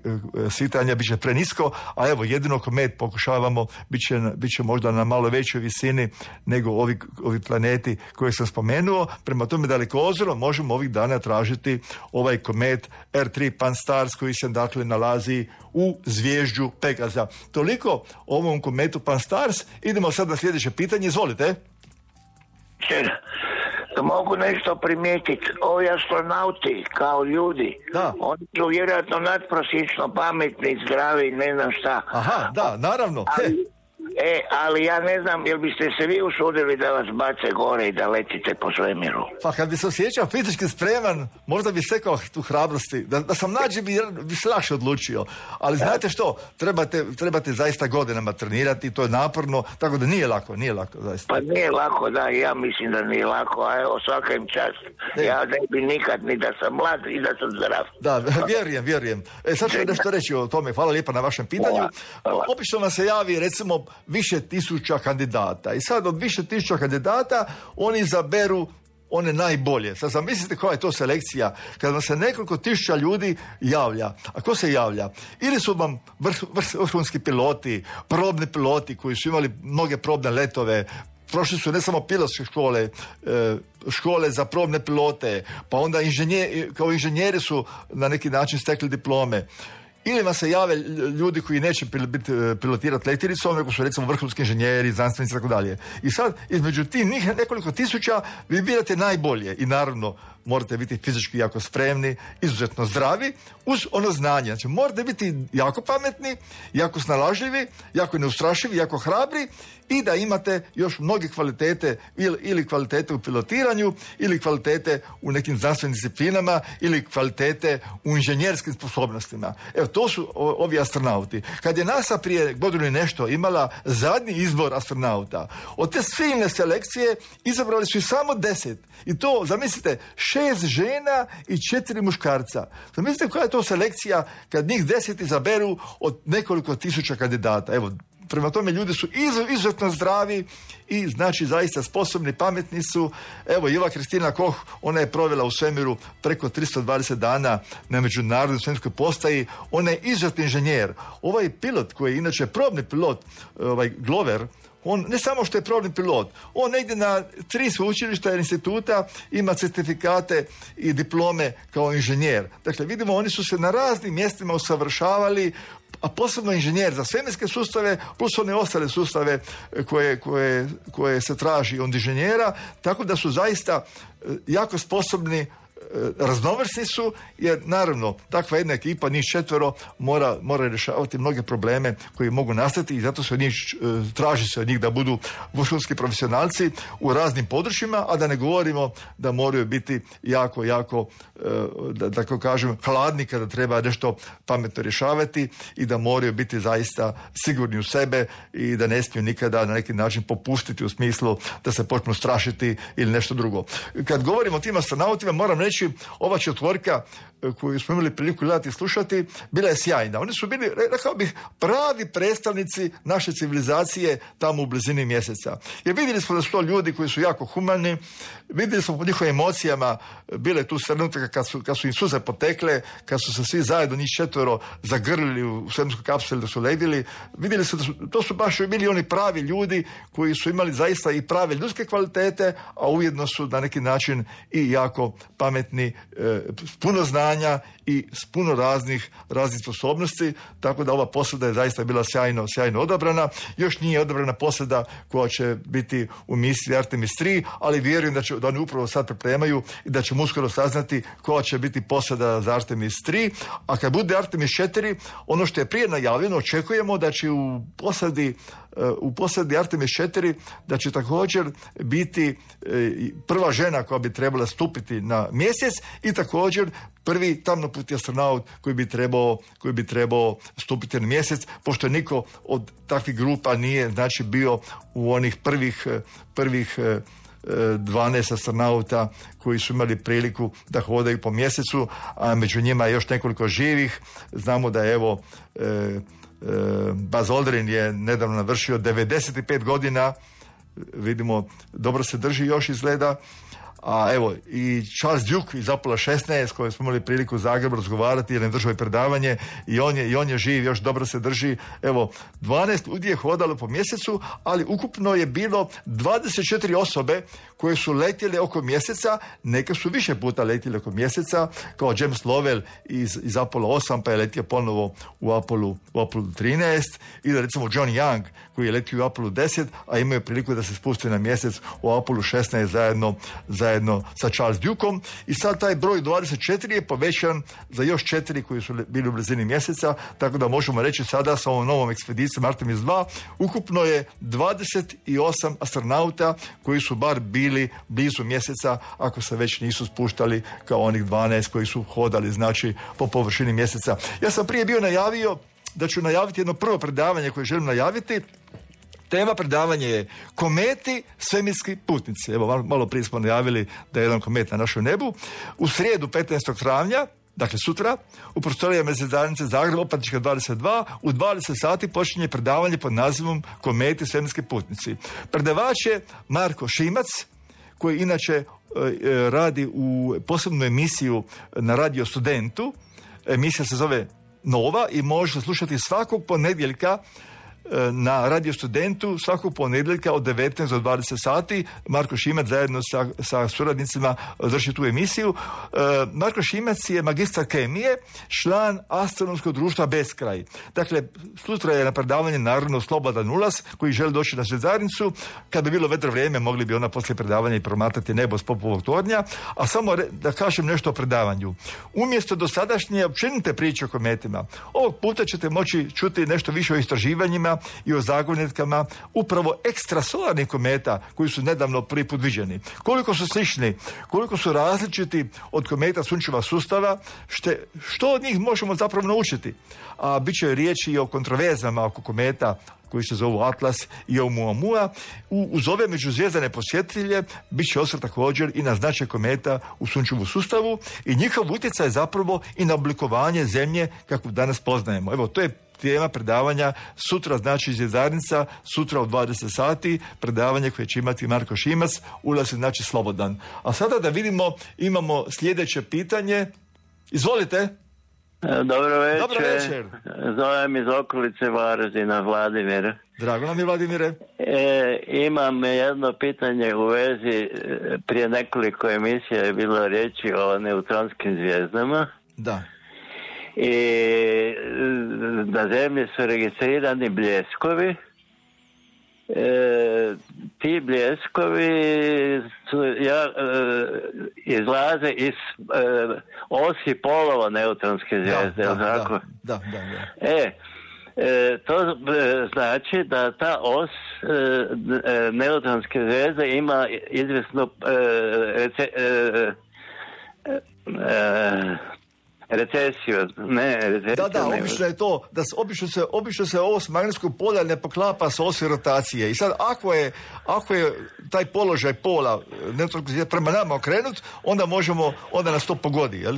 svitanja, bit će prenisko, a evo jedino komet pokušavamo, bit će, bit će možda na malo većoj visini nego ovi, ovi planeti koje sam spomenuo. Prema tome dalekozorom možemo ovih dana tražiti ovaj komet R tri Pan-STARRS koji se dakle nalazi u zvježđu Pegaza. Toliko o ovom kometu Pan-STARRS. Idemo sad na sljedeće pitanje, izvolite. Mogu nešto primijetiti, ovi astronauti kao ljudi, da. Oni su vjerojatno nadprosječno pametni, zdravi, ne znam šta. Aha, da, naravno. Ali, E, ali ja ne znam, jel biste se vi usudili da vas bace gore i da letite po svemiru? Pa kad bi se osjećao fizički spreman, možda bi sekao tu hrabrosti. Da, da sam nađi bi, bi se lakše odlučio. Ali znate što, trebate, trebate zaista godinama trenirati, to je naporno, tako da nije lako, nije lako zaista. Pa nije lako, da, ja mislim da nije lako, a evo svaka im čast. Ne. Ja ne bi nikad ni da sam mlad i da sam zdrav. Da, vjerujem, vjerujem. E, sad ću nešto reći o tome, hvala lijepa na vašem pitanju. Hvala, hvala. Obično nam se javi, recimo, više tisuća kandidata. I sad od više tisuća kandidata oni izaberu one najbolje. Sad zamislite koja je to selekcija kada vam se nekoliko tisuća ljudi javlja. A ko se javlja? Ili su vam vrh, vrh, vrhunski piloti, probni piloti koji su imali mnoge probne letove, prošli su ne samo pilotske škole, škole za probne pilote, pa onda inženjer, kao inženjeri su na neki način stekli diplome. Ili vam se jave ljudi koji neće pilotirati letjelicom, nego su recimo vrhunski inženjeri, znanstvenici i tako dalje. I sad, između tih nekoliko tisuća vi birate najbolje i naravno morate biti fizički jako spremni, izuzetno zdravi, uz ono znanje. Znači, morate biti jako pametni, jako snalažljivi, jako neustrašivi, jako hrabri i da imate još mnoge kvalitete ili, ili kvalitete u pilotiranju, ili kvalitete u nekim znanstvenim disciplinama, ili kvalitete u inženjerskim sposobnostima. Evo, to su ovi astronauti. Kad je NASA prije godinu i nešto imala zadnji izbor astronauta, od te silne selekcije izabrali su i samo deset. I to, zamislite, šest žena i četiri muškarca. Zamislite koja je to selekcija kad njih deset izaberu od nekoliko tisuća kandidata. Evo, prema tome ljudi su izuzetno zdravi i znači zaista sposobni, pametni su. Evo, Iva Kristina Koch, ona je provela u svemiru preko tristo dvadeset dana na međunarodnoj svemirskoj postaji. Ona je izuzetni inženjer. Ovaj pilot koji je inače probni pilot, ovaj Glover, on ne samo što je probni pilot, on negdje na tri sveučilišta i instituta ima certifikate i diplome kao inženjer. Dakle, vidimo, oni su se na raznim mjestima usavršavali, a posebno inženjer za svemirske sustave, plus one ostale sustave koje, koje, koje se traži od inženjera, tako da su zaista jako sposobni, raznovrsni su, jer naravno takva jedna ekipa, njih četvero, mora, mora rješavati mnoge probleme koji mogu nastati i zato se od njih, traži se od njih da budu vrhunski profesionalci u raznim područjima, a da ne govorimo da moraju biti jako, jako, da tako kažem, hladni kada treba nešto pametno rješavati i da moraju biti zaista sigurni u sebe i da ne smiju nikada na neki način popustiti u smislu da se počnu strašiti ili nešto drugo. Kad govorimo o tim astronautima, moram reći, ova četvorka koju smo imali priliku gledati i slušati, bila je sjajna. Oni su bili, rekao bih, pravi predstavnici naše civilizacije tamo u blizini mjeseca. Jer vidjeli smo da su to ljudi koji su jako humani, vidjeli smo po njihovim emocijama, bile tu trenutka kad su, kad su im suze potekle, kad su se svi zajedno, njih četvero, zagrlili u svemirskoj kapsuli da su ledili. Vidjeli su da su, to su baš bili oni pravi ljudi koji su imali zaista i prave ljudske kvalitete, a ujedno su na neki način i jako pametni, e, puno znanja i s puno raznih, raznih sposobnosti, tako da ova posada je zaista bila sjajno, sjajno odabrana. Još nije odabrana posada koja će biti u misiji Artemis tri, ali vjerujem da, će, da oni upravo sad pripremaju i da ćemo uskoro saznati koja će biti posada za Artemis tri, a kad bude Artemis četiri, ono što je prije najavljeno, očekujemo da će u posadi u posadi Artemis četiri da će također biti prva žena koja bi trebala stupiti na mjesec i također prvi tamnoputi astronaut koji bi trebao, koji bi trebao stupiti na mjesec, pošto niko od takvih grupa nije, znači, bio u onih prvih, prvih dvanaest astronauta koji su imali priliku da hodaju po mjesecu, a među njima je još nekoliko živih. Znamo da je, evo, e, Buzz Aldrin je nedavno navršio devedeset pet godina, vidimo, dobro se drži još izgleda, a evo i Charles Duke iz Apollo šesnaest, koji smo imali priliku u Zagrebu razgovarati jer je držao i predavanje, i on je, i on je živ, još dobro se drži. Evo, dvanaest ljudi je hodalo po mjesecu, ali ukupno je bilo dvadeset četiri osobe koje su letjele oko mjeseca, neka su više puta letjele oko mjeseca, kao James Lovell iz, iz Apollo osam, pa je letio ponovo u Apollo, u Apollo trinaest, ili recimo John Young koji je letio u Apollo deset, a imaju priliku da se spusti na mjesec u Apollo šesnaest zajedno, zajedno zajedno sa Charles Dukeom i sad taj broj dvadeset četiri je povećan za još četiri koji su bili u blizini mjeseca, tako da možemo reći sada sa ovom novom ekspedicijom Artemis dva ukupno je dvadeset osam astronauta koji su bar bili blizu mjeseca, ako se već nisu spuštali kao onih dvanaest koji su hodali znači po površini mjeseca. Ja sam prije bio najavio da ću najaviti jedno prvo predavanje koje želim najaviti. Tema predavanja je kometi, svemirski putnici. Evo, malo prije smo najavili da je jedan komet na našem nebu. U srijedu petnaestog travnja, dakle sutra, u prostorijama Zajednice Zagreb, Opatička dvadeset dva, u dvadeset sati počinje predavanje pod nazivom Kometi, svemirski putnici. Predavač je Marko Šimac, koji inače e, radi u posebnu emisiju na Radio Studentu. Emisija se zove Nova i može slušati svakog ponedjeljka na Radio Studentu svakog ponedjeljka od devetnaest do dvadeset sati. Marko Šimac zajedno sa, sa suradnicima drži tu emisiju. E, Marko Šimac je magistar kemije, član Astronomskog društva Beskraj. Dakle, sutra je na predavanje naravno Slobodan Ulas koji želi doći na Zvezdarnicu. Kad bi bilo vedro vrijeme, mogli bi ona poslije predavanja i promatrati nebo s Popovog tornja. A samo re, da kažem nešto o predavanju. Umjesto dosadašnje općenite priče o kometima, ovog puta ćete moći čuti nešto više o istraživanjima i o zagonetkama upravo ekstrasolarnih kometa koji su nedavno prvi put viđeni. Koliko su slični, koliko su različiti od kometa sunčeva sustava, šte, što od njih možemo zapravo naučiti. A bit će riječi i o kontroverzama oko kometa koji se zovu Atlas i Oumuamua. U, uz ove međuzvijezdane posjetitelje bit će osvrt također i na značaj kometa u sunčevu sustavu i njihov utjecaj zapravo i na oblikovanje zemlje kako danas poznajemo. Evo, to je tema predavanja sutra, znači Zvjezdarnica, sutra u dvadeset sati, predavanje koje će imati Marko Šimac, ulaz je znači slobodan. A sada da vidimo, imamo sljedeće pitanje. Izvolite. Dobro večer. Dobro večer. Zovem iz okolice Varaždina, Vladimir. Drago nam je, Vladimire. E, imam jedno pitanje u vezi, prije nekoliko emisija je bilo riječi o neutronskim zvijezdama. Da. I na zemlji su registrirani bljeskovi. E, ti bljeskovi su, ja, e, izlaze iz e, osi polova neutronske zvijezde. Da, da, tako? Da, da, da. E, e, to e, znači da ta os e, neutronske zvijezde ima izvjesnu e, rece, e, e, recesiju, ne, recesiju. Da, da, ne, obično je to, da se, obično se, obično se os magnetskog polja ne poklapa sa osi rotacije. I sad, ako je, ako je taj položaj pola neutronskog zvijezde prema nama okrenut, onda možemo, onda nas to pogodi, jel?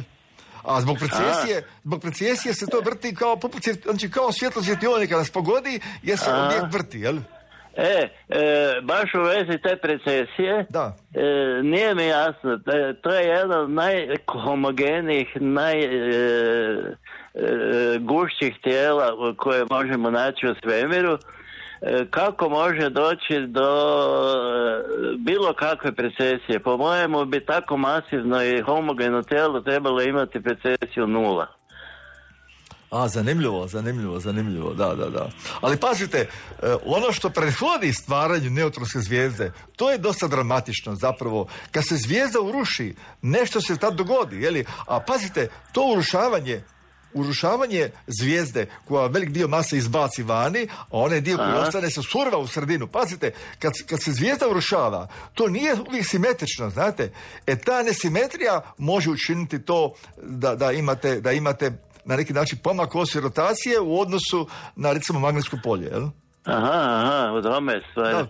A zbog precesije, zbog precesije se to vrti kao, znači kao svjetlo svjetionika nas pogodi, jer se objekt vrti, jel? E, e, baš u vezi te precesije, da. E, nije mi jasno, to je jedan od najhomogenijih, najgušćih e, tijela koje možemo naći u svemiru. E, kako može doći do bilo kakve precesije? Po mojemu bi tako masivno i homogeno tijelo trebalo imati precesiju nula. A, zanimljivo, zanimljivo, zanimljivo, da, da, da. Ali pazite, ono što prethodi stvaranju neutronske zvijezde, to je dosta dramatično zapravo. Kad se zvijezda uruši, nešto se tad dogodi, jeli? A pazite, to urušavanje, urušavanje zvijezde koja velik dio mase izbaci vani, a onaj dio koji ostane se surva u sredinu. Pazite, kad, kad se zvijezda urušava, to nije uvijek simetrično, znate. E, ta nesimetrija može učiniti to da, da imate, da imate na neki način pomak osi rotacije u odnosu na, recimo, magnetsko polje, jel? Aha, aha, u tome stvari. Da,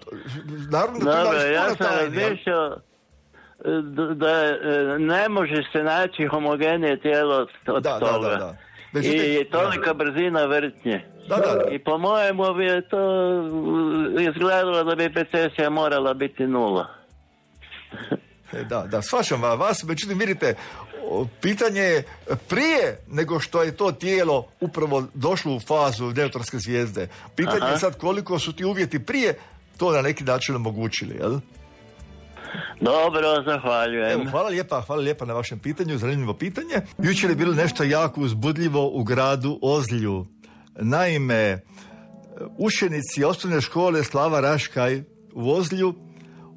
naravno da Dobre, tu ja sam razmišljao da, da ne može se naći homogenije tijelo od da, toga. Da, da, da. Međutim, i tolika brzina vrtnje. Da, da, da. I po mojemu bi je to izgledalo da bi precesija morala biti nula. Da, da, shvaćam vas, međutim, vidite, pitanje je prije nego što je to tijelo upravo došlo u fazu neutronske zvijezde. Pitanje Aha. je sad koliko su ti uvjeti prije to na neki način omogućili, jel? Dobro, zahvaljujem. Evo, hvala lijepa, hvala lijepa na vašem pitanju, zanimljivo pitanje. Jučer je bilo nešto jako uzbudljivo u gradu Ozlju. Naime, učenici osnovne škole Slava Raškaj u Ozlju,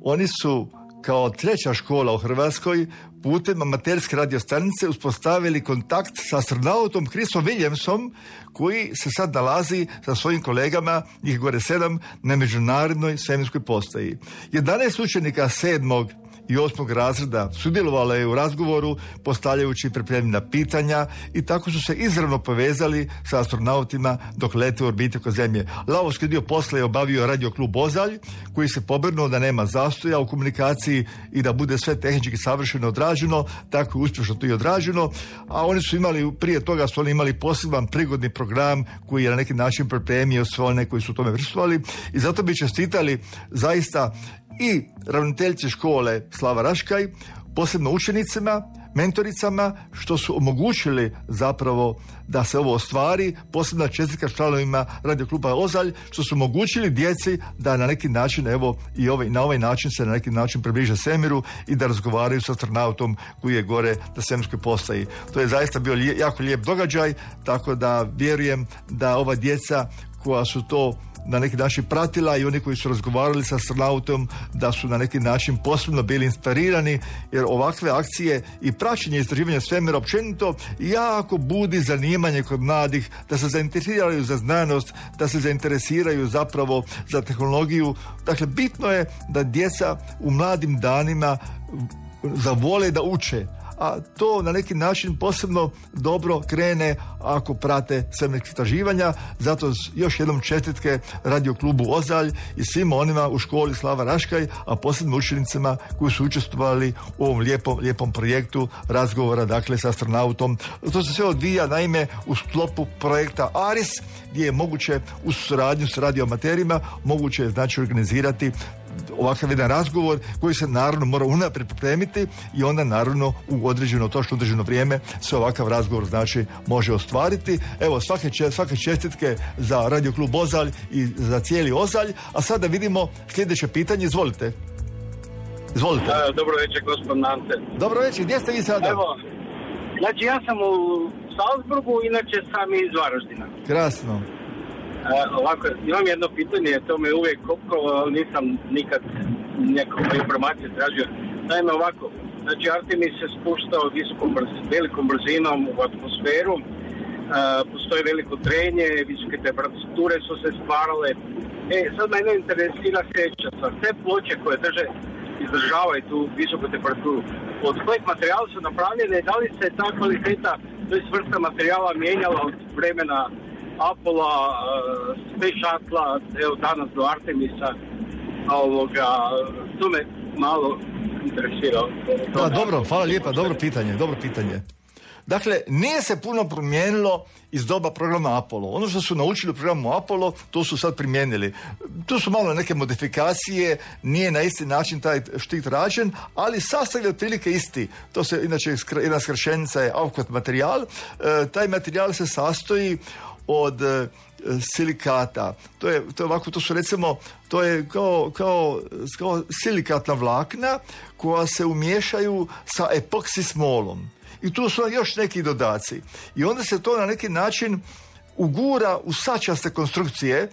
oni su kao treća škola u Hrvatskoj putem amaterske radiostanice uspostavili kontakt sa astronautom Chrisom Williamsom, koji se sad nalazi sa svojim kolegama, njih gore sedam, na međunarodnoj svemirskoj postaji. jedanaest učenika sedmog i osmog razreda sudjelovalo je u razgovoru, postavljajući i pripremljena pitanja, i tako su se izravno povezali sa astronautima dok lete u orbiti oko Zemlje. Lavovski dio posla je obavio Radio klub Ozalj, koji se pobrinuo da nema zastoja u komunikaciji i da bude sve tehnički savršeno odrađeno, tako je uspješno to i odrađeno, a oni su imali, prije toga su oni imali poseban prigodni program koji je na neki način pripremio sve one koji su u tome prisustvovali, i zato bi čestitali zaista i ravnateljice škole Slava Raškaj, posebno učenicima, mentoricama, što su omogućili zapravo da se ovo ostvari, posebno čestitka članovima Radio kluba Ozalj, što su omogućili djeci da na neki način, evo, i ovaj, na ovaj način se na neki način približe svemiru i da razgovaraju sa astronautom koji je gore na svemirskoj postaji. To je zaista bio lije, jako lijep događaj, tako da vjerujem da ova djeca koja su to na neki način pratila i oni koji su razgovarali sa astronautom, da su na neki način posebno bili inspirirani, jer ovakve akcije i praćenje istraživanja svemira općenito jako budi zanimanje kod mladih, da se zainteresiraju za znanost, da se zainteresiraju zapravo za tehnologiju. Dakle, bitno je da djeca u mladim danima zavole da uče, a to na neki način posebno dobro krene ako prate svemirska istraživanja. Zato još jednom čestitke Radio klubu Ozalj i svima onima u školi Slava Raškaj, a posebno učenicima koji su učestvovali u ovom lijepom, lijepom projektu razgovora, dakle, sa astronautom. To se sve odvija, naime, u sklopu projekta ARIS, gdje je moguće u suradnju s radioamaterima moguće, znači, organizirati ovakav jedan razgovor koji se naravno mora unaprijed pripremiti i onda naravno u određeno, točno određeno vrijeme se ovakav razgovor, znači, može ostvariti. Evo, svake, svake čestitke za Radio klub Ozalj i za cijeli Ozalj. A sada vidimo sljedeće pitanje. Izvolite. Izvolite. A, dobro večer, gospod Nante. Dobro večer, gdje ste vi sada? Evo, znači ja sam u Salzburgu, inače sam iz Varaždina. Krasno. E, ovako, imam jedno pitanje, to me uvijek kopkalo, nisam nikad nekom informacije tražio. Naime, ovako, znači Artemis se spuštao visokom brz, velikom brzinom u atmosferu, e, postoji veliko trenje, visoke temperature su se stvarale. E, sad mene interesira sljedeća stvar, te ploče koje drže, izdržavaju tu visoku temperaturu, od kojeg materijala su napravljene, da li se ta kvaliteta, to je vrsta materijala mijenjala od vremena Apollo, Space Shuttle, evo danas do Artemisa, ovoga, to me malo interesira. Da, dobro, hvala lijepa, dobro pitanje, dobro pitanje. Dakle, nije se puno promijenilo iz doba programa Apollo. Ono što su naučili u programu Apollo, to su sad primijenili. Tu su malo neke modifikacije, nije na isti način taj štit rađen, ali sastav je otprilike isti. To se, inače, jedna skraćenica je Avkot materijal. E, taj materijal se sastoji od e, silikata. To je, to je ovako, to su recimo, to je kao, kao, kao silikatna vlakna koja se umiješaju sa epoksi smolom. I tu su još neki dodaci. I onda se to na neki način ugura u sačaste konstrukcije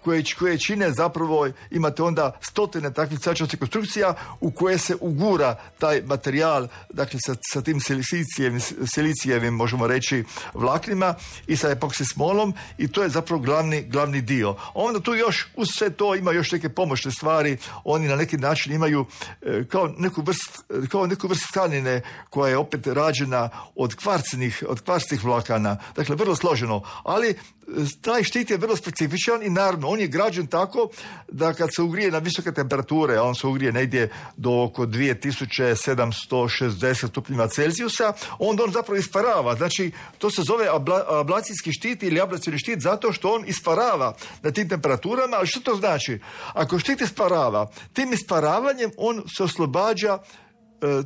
koje, koje čine zapravo, imate onda stotine takvih sačastih konstrukcija u koje se ugura taj materijal, dakle sa, sa tim silicijevim, silicijevim, možemo reći, vlaknima i sa epoksi smolom, i to je zapravo glavni, glavni dio. Onda tu još uz sve to ima još neke pomoćne stvari. Oni na neki način imaju e, kao neku vrst, kao neku vrst tkanine koja je opet rađena od kvarcnih, od kvarcnih vlakana. Dakle, vrlo složeno, ali taj štit je vrlo specifičan i naravno on je građen tako da kad se ugrije na visoke temperature, a on se ugrije negdje do oko dvije tisuće sedamsto šezdeset stupnjeva Celzijusa, onda on zapravo isparava. Znači, to se zove abla, ablacijski štit ili ablacijni štit zato što on isparava na tim temperaturama. Ali što to znači? Ako štit isparava, tim isparavanjem on se oslobađa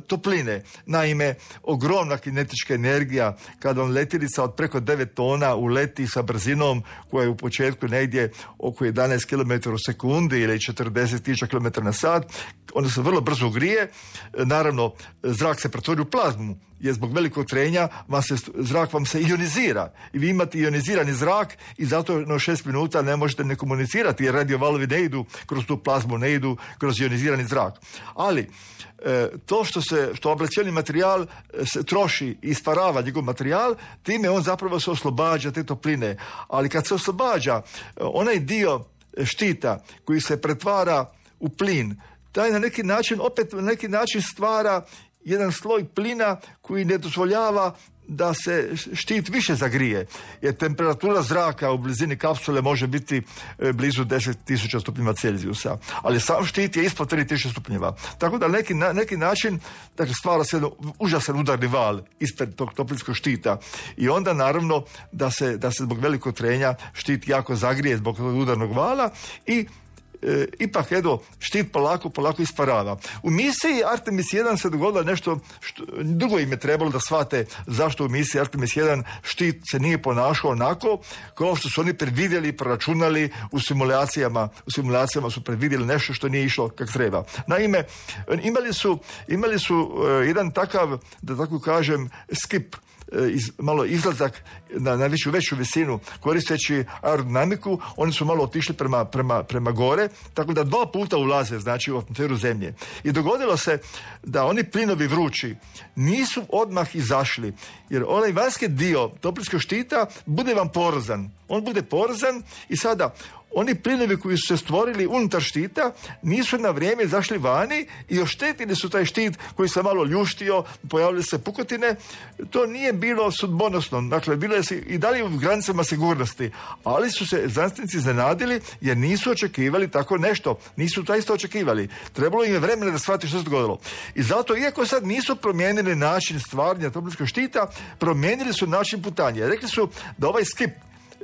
topline. Naime, ogromna kinetička energija kada vam letjelica od preko devet tona uleti sa brzinom koja je u početku negdje oko jedanaest kilometara u sekundi ili četrdeset tisuća kilometara na sat, onda se vrlo brzo ugrije. Naravno, zrak se pretvori u plazmu je zbog velikog trenja vam se, zrak vam se ionizira i vi imate ionizirani zrak i zato na šest minuta ne možete ne komunicirati jer radio valovi ne idu kroz tu plazmu, ne idu kroz ionizirani zrak. Ali e, to što se, što ablacioni materijal se troši i isparava njegov materijal, time on zapravo se oslobađa te topline. Ali kad se oslobađa onaj dio štita koji se pretvara u plin, taj na neki način, opet na neki način stvara jedan sloj plina koji ne dozvoljava da se štit više zagrije. Jer temperatura zraka u blizini kapsule može biti blizu deset tisuća stupnjeva Celzijusa. Ali sam štit je ispod tri tisuće stupnjeva. Tako da neki, na neki način dakle, stvara se jedan užasan udarni val ispred tog toplinskog štita. I onda naravno da se, da se zbog velikog trenja štit jako zagrije zbog tog udarnog vala i E, ipak edo štit polako, polako isparava. U misiji Artemis jedan se dogodilo nešto što, dugo im je trebalo da shvate zašto u misiji Artemis jedan štit se nije ponašao onako kao što su oni predvidjeli, proračunali u simulacijama. U simulacijama su predvidjeli nešto što nije išlo kako treba. Naime, imali su, imali su uh, jedan takav, da tako kažem, skip, Iz, malo izlazak na, na veću, veću visinu koristeći aerodinamiku. Oni su malo otišli prema, prema, prema gore, tako da dva puta ulaze znači u atmosferu Zemlje. I dogodilo se da oni plinovi vrući nisu odmah izašli, jer onaj vanjski dio toplinskog štita bude vam porozan. On bude porozan i sada oni plinovi koji su se stvorili unutar štita nisu na vrijeme izašli vani i oštetili su taj štit koji se malo ljuštio, pojavile se pukotine. To nije bilo sudbonosno, dakle bilo je i dalje u granicama sigurnosti, ali su se znanstvenici iznenadili jer nisu očekivali tako nešto, nisu to isto očekivali. Trebalo im je vremena da shvati što se dogodilo. I zato, iako sad nisu promijenili način stvaranja toplinskog štita, promijenili su način putanja. Rekli su da ovaj skip,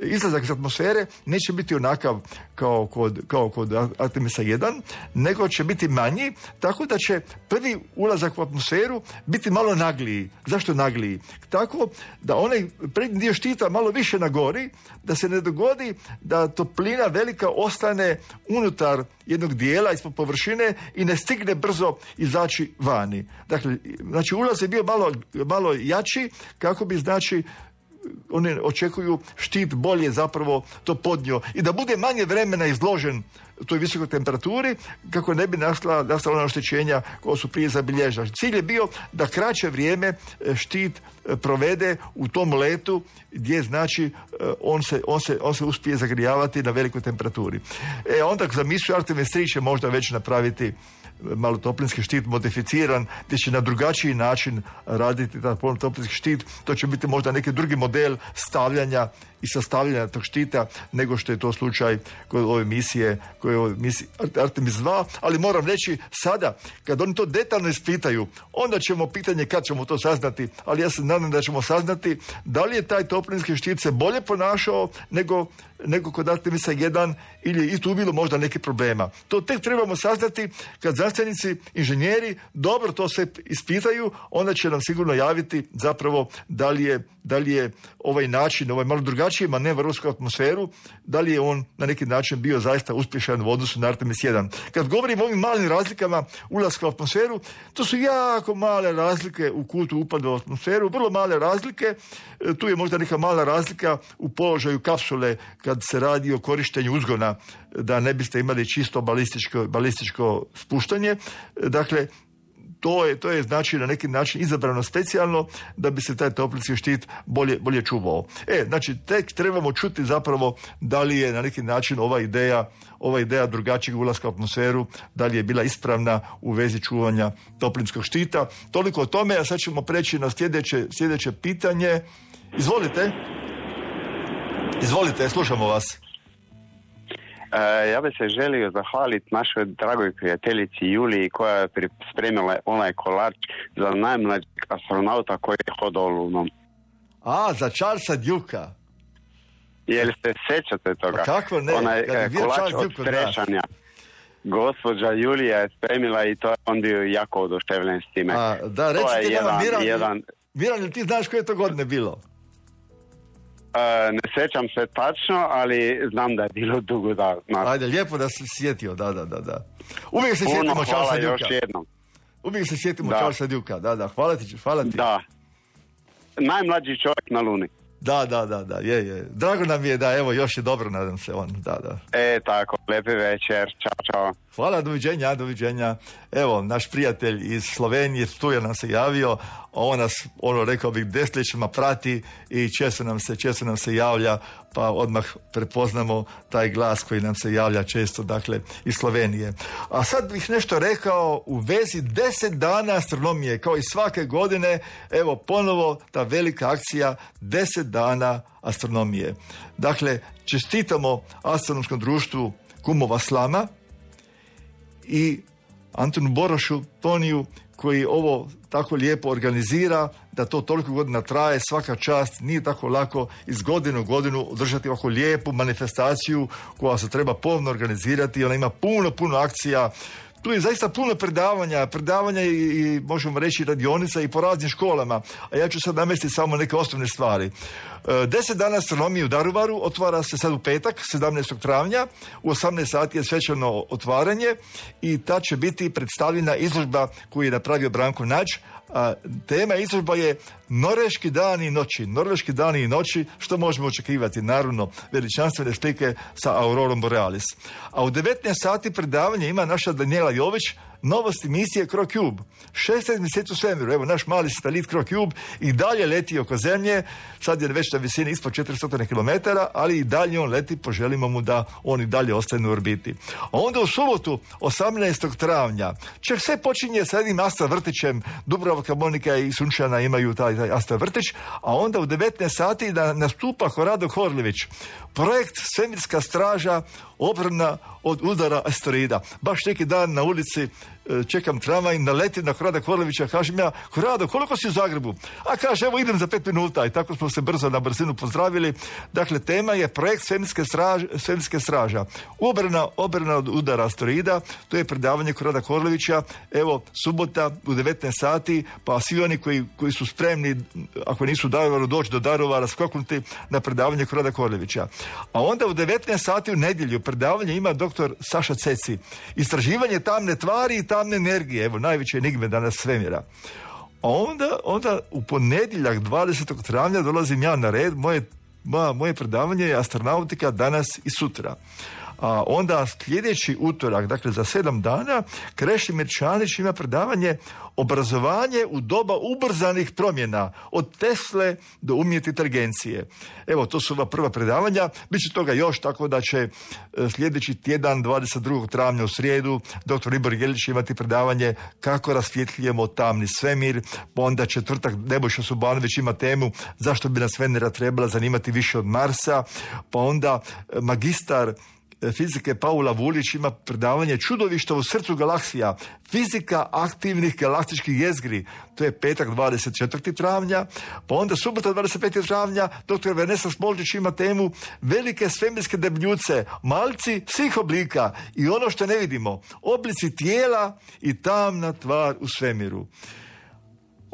izlazak iz atmosfere, neće biti onakav kao kod, kao kod Artemisa jedan, nego će biti manji, tako da će prvi ulazak u atmosferu biti malo nagliji. Zašto nagliji? Tako da onaj prednji dio štita malo više nagori, da se ne dogodi da toplina velika ostane unutar jednog dijela ispod površine i ne stigne brzo izaći vani. Dakle, znači ulaz je bio malo, malo jači, kako bi znači oni očekuju štit bolje zapravo to podnio i da bude manje vremena izložen toj visokoj temperaturi kako ne bi nastala, nastala oštećenja koja su prije zabilježena. Cilj je bio da kraće vrijeme štit provede u tom letu gdje znači on se, on se, on se uspije zagrijavati na velikoj temperaturi. E onda za misiju Artemis tri će možda već napraviti malo toplinski štit modificiran, gdje će na drugačiji način raditi taj toplinski štit. To će biti možda neki drugi model stavljanja i sastavljanja tog štita nego što je to slučaj kod ove misije, kod ove misije Artemis dva, ali moram reći sada, kad oni to detaljno ispitaju, onda ćemo pitanje kad ćemo to saznati, ali ja se nadam da ćemo saznati da li je taj toplinski štit se bolje ponašao nego, nego kod Artemisa jedan ili i tu bilo možda neki problema. To tek trebamo saznati kad znanstvenici, inženjeri dobro to se ispitaju, onda će nam sigurno javiti zapravo da li je, da li je ovaj način, ovaj malo drugačiji manevar u atmosferu, da li je on na neki način bio zaista uspješan u odnosu na Artemis jedan. Kad govorimo o ovim malim razlikama ulaska u atmosferu, to su jako male razlike u kutu upada u atmosferu, vrlo male razlike. Tu je možda neka mala razlika u položaju kapsule kad se radi o korištenju uzgona, da ne biste imali čisto balističko, balističko spuštanje. Dakle, To je, to je znači na neki način izabrano specijalno da bi se taj toplinski štit bolje, bolje čuvao. E, znači tek trebamo čuti zapravo da li je na neki način ova ideja, ova ideja drugačijeg ulaska u atmosferu, da li je bila ispravna u vezi čuvanja toplinskog štita. Toliko o tome, a sad ćemo preći na sljedeće, sljedeće pitanje. Izvolite. Izvolite, slušamo vas. E, ja bih se želio zahvaliti našoj dragoj prijateljici Juliji koja je spremila onaj kolač za najmlađeg astronauta koji je hodao lunom. A, za Charlesa Dukea. Jel se sjećate toga? Pa kako ne? Onaj e, kolač od strešanja. Gospođa Julija je spremila i to je on bio jako oduševljen s time. A, da, recite nama, Miran, jedan... Miran, ti znaš koje to godine bilo? Uh, ne sjećam se tačno, ali znam da je bilo dugo da... Na... Ajde, lijepo da se sjetio, da, da, da, da. Uvijek se sjetimo Charlesa Dukea. Uvijek se sjetimo Charlesa Dukea, da, da, hvala ti, hvala ti. Da, najmlađi čovjek na Luni. Da, da, da, da, je, je. Drago nam je da, evo, još je dobro, nadam se, on, da, da. E, tako, lijepi večer, čao, čao. Hvala, doviđenja, doviđenja. Evo, naš prijatelj iz Slovenije, Stuja nam se javio, on nas, ono, rekao bih, desetljećima prati i često nam se, često nam se javlja, pa odmah prepoznamo taj glas koji nam se javlja često, dakle, iz Slovenije. A sad bih nešto rekao u vezi deset dana astronomije, kao i svake godine, evo, ponovo ta velika akcija, deset dana astronomije. Dakle, čestitamo Astronomskom društvu Kumova slama i Antonu Borošu, Toniju, koji ovo tako lijepo organizira, da to toliko godina traje, svaka čast, nije tako lako iz godine u godinu održati ovako lijepu manifestaciju koja se treba pomno organizirati, ona ima puno, puno akcija. Tu je zaista puno predavanja, predavanja i, i možemo reći radionica i po raznim školama, a ja ću sad namestiti samo neke osnovne stvari. E, deset dana astronomije u Daruvaru otvara se sad u petak, sedamnaestog travnja, u osamnaest sati je svečano otvaranje i ta će biti predstavljena izložba koju je napravio Branko Nađ. A tema izložba je Norveški dani i noći. Norveški dani i noći, što možemo očekivati? Naravno, veličanstvene slike sa Aurorom Borealis. A u devetnaest sati predavanje ima naša Daniela Jović, novosti misije CroCube. šesnaest mjeseci u svemiru. Evo, naš mali satelit CroCube i dalje leti oko zemlje. Sad je već na visini ispod četiristo kilometara, ali i dalje on leti, poželimo mu da on i dalje ostane u orbiti. A onda u subotu, osamnaestog travnja, čak sve počinje sa jednim Astra vrtićem. Dubravka, Monika i Sunčana imaju taj, taj Astra vrtić, a onda u devetnaest sati da nastupa Horado Horljević. Projekt Svemirska straža, obrana od udara asteroida. Baš neki dan na ulici čekam tramvaj, naletim na Horada Horlevića, kažem ja, Horado, koliko si u Zagrebu? A kaže, evo idem za pet minuta i tako smo se brzo na brzinu pozdravili. Dakle, tema je projekt Svemirske straže, Svemirske straža. Obrana, obrana od udara asteroida, to je predavanje Horada Horlevića, evo, subota u devetnaest sati, pa svi oni koji, koji su spremni, ako nisu u Daruvaru, doći do Daruvara, skoknuti na predavanje Horada Horlevića. A onda u devetnaest sati u nedjelju predavanje ima doktor Saša Ceci. Istraživanje tamne tvari i tamne energije, evo, najveće enigme danas svemira. A onda, onda u ponedjeljak dvadesetog travnja dolazim ja na red, moje, moja, moje predavanje je astronautika danas i sutra. A onda sljedeći utorak, dakle za sedam dana, Krešimir Čanić ima predavanje obrazovanje u doba ubrzanih promjena, od Tesle do umjetne inteligencije. Evo, to su ova prva predavanja, bit će toga još, tako da će sljedeći tjedan, dvadeset drugog travnja u srijedu, doktor Ibor Jelić imati predavanje kako rasvjetljujemo tamni svemir, pa onda četvrtak Nebojša Subanović ima temu zašto bi nas Venera trebala zanimati više od Marsa, pa onda magistar fizike Paula Vulić ima predavanje Čudovišta u srcu galaksija, fizika aktivnih galaktičkih jezgri, to je petak dvadeset četvrtog travnja, pa onda subota dvadeset petog travnja doktor Vanessa Smolčić ima temu velike svemirske debljuce, malci svih oblika i ono što ne vidimo, oblici tijela i tamna tvar u svemiru.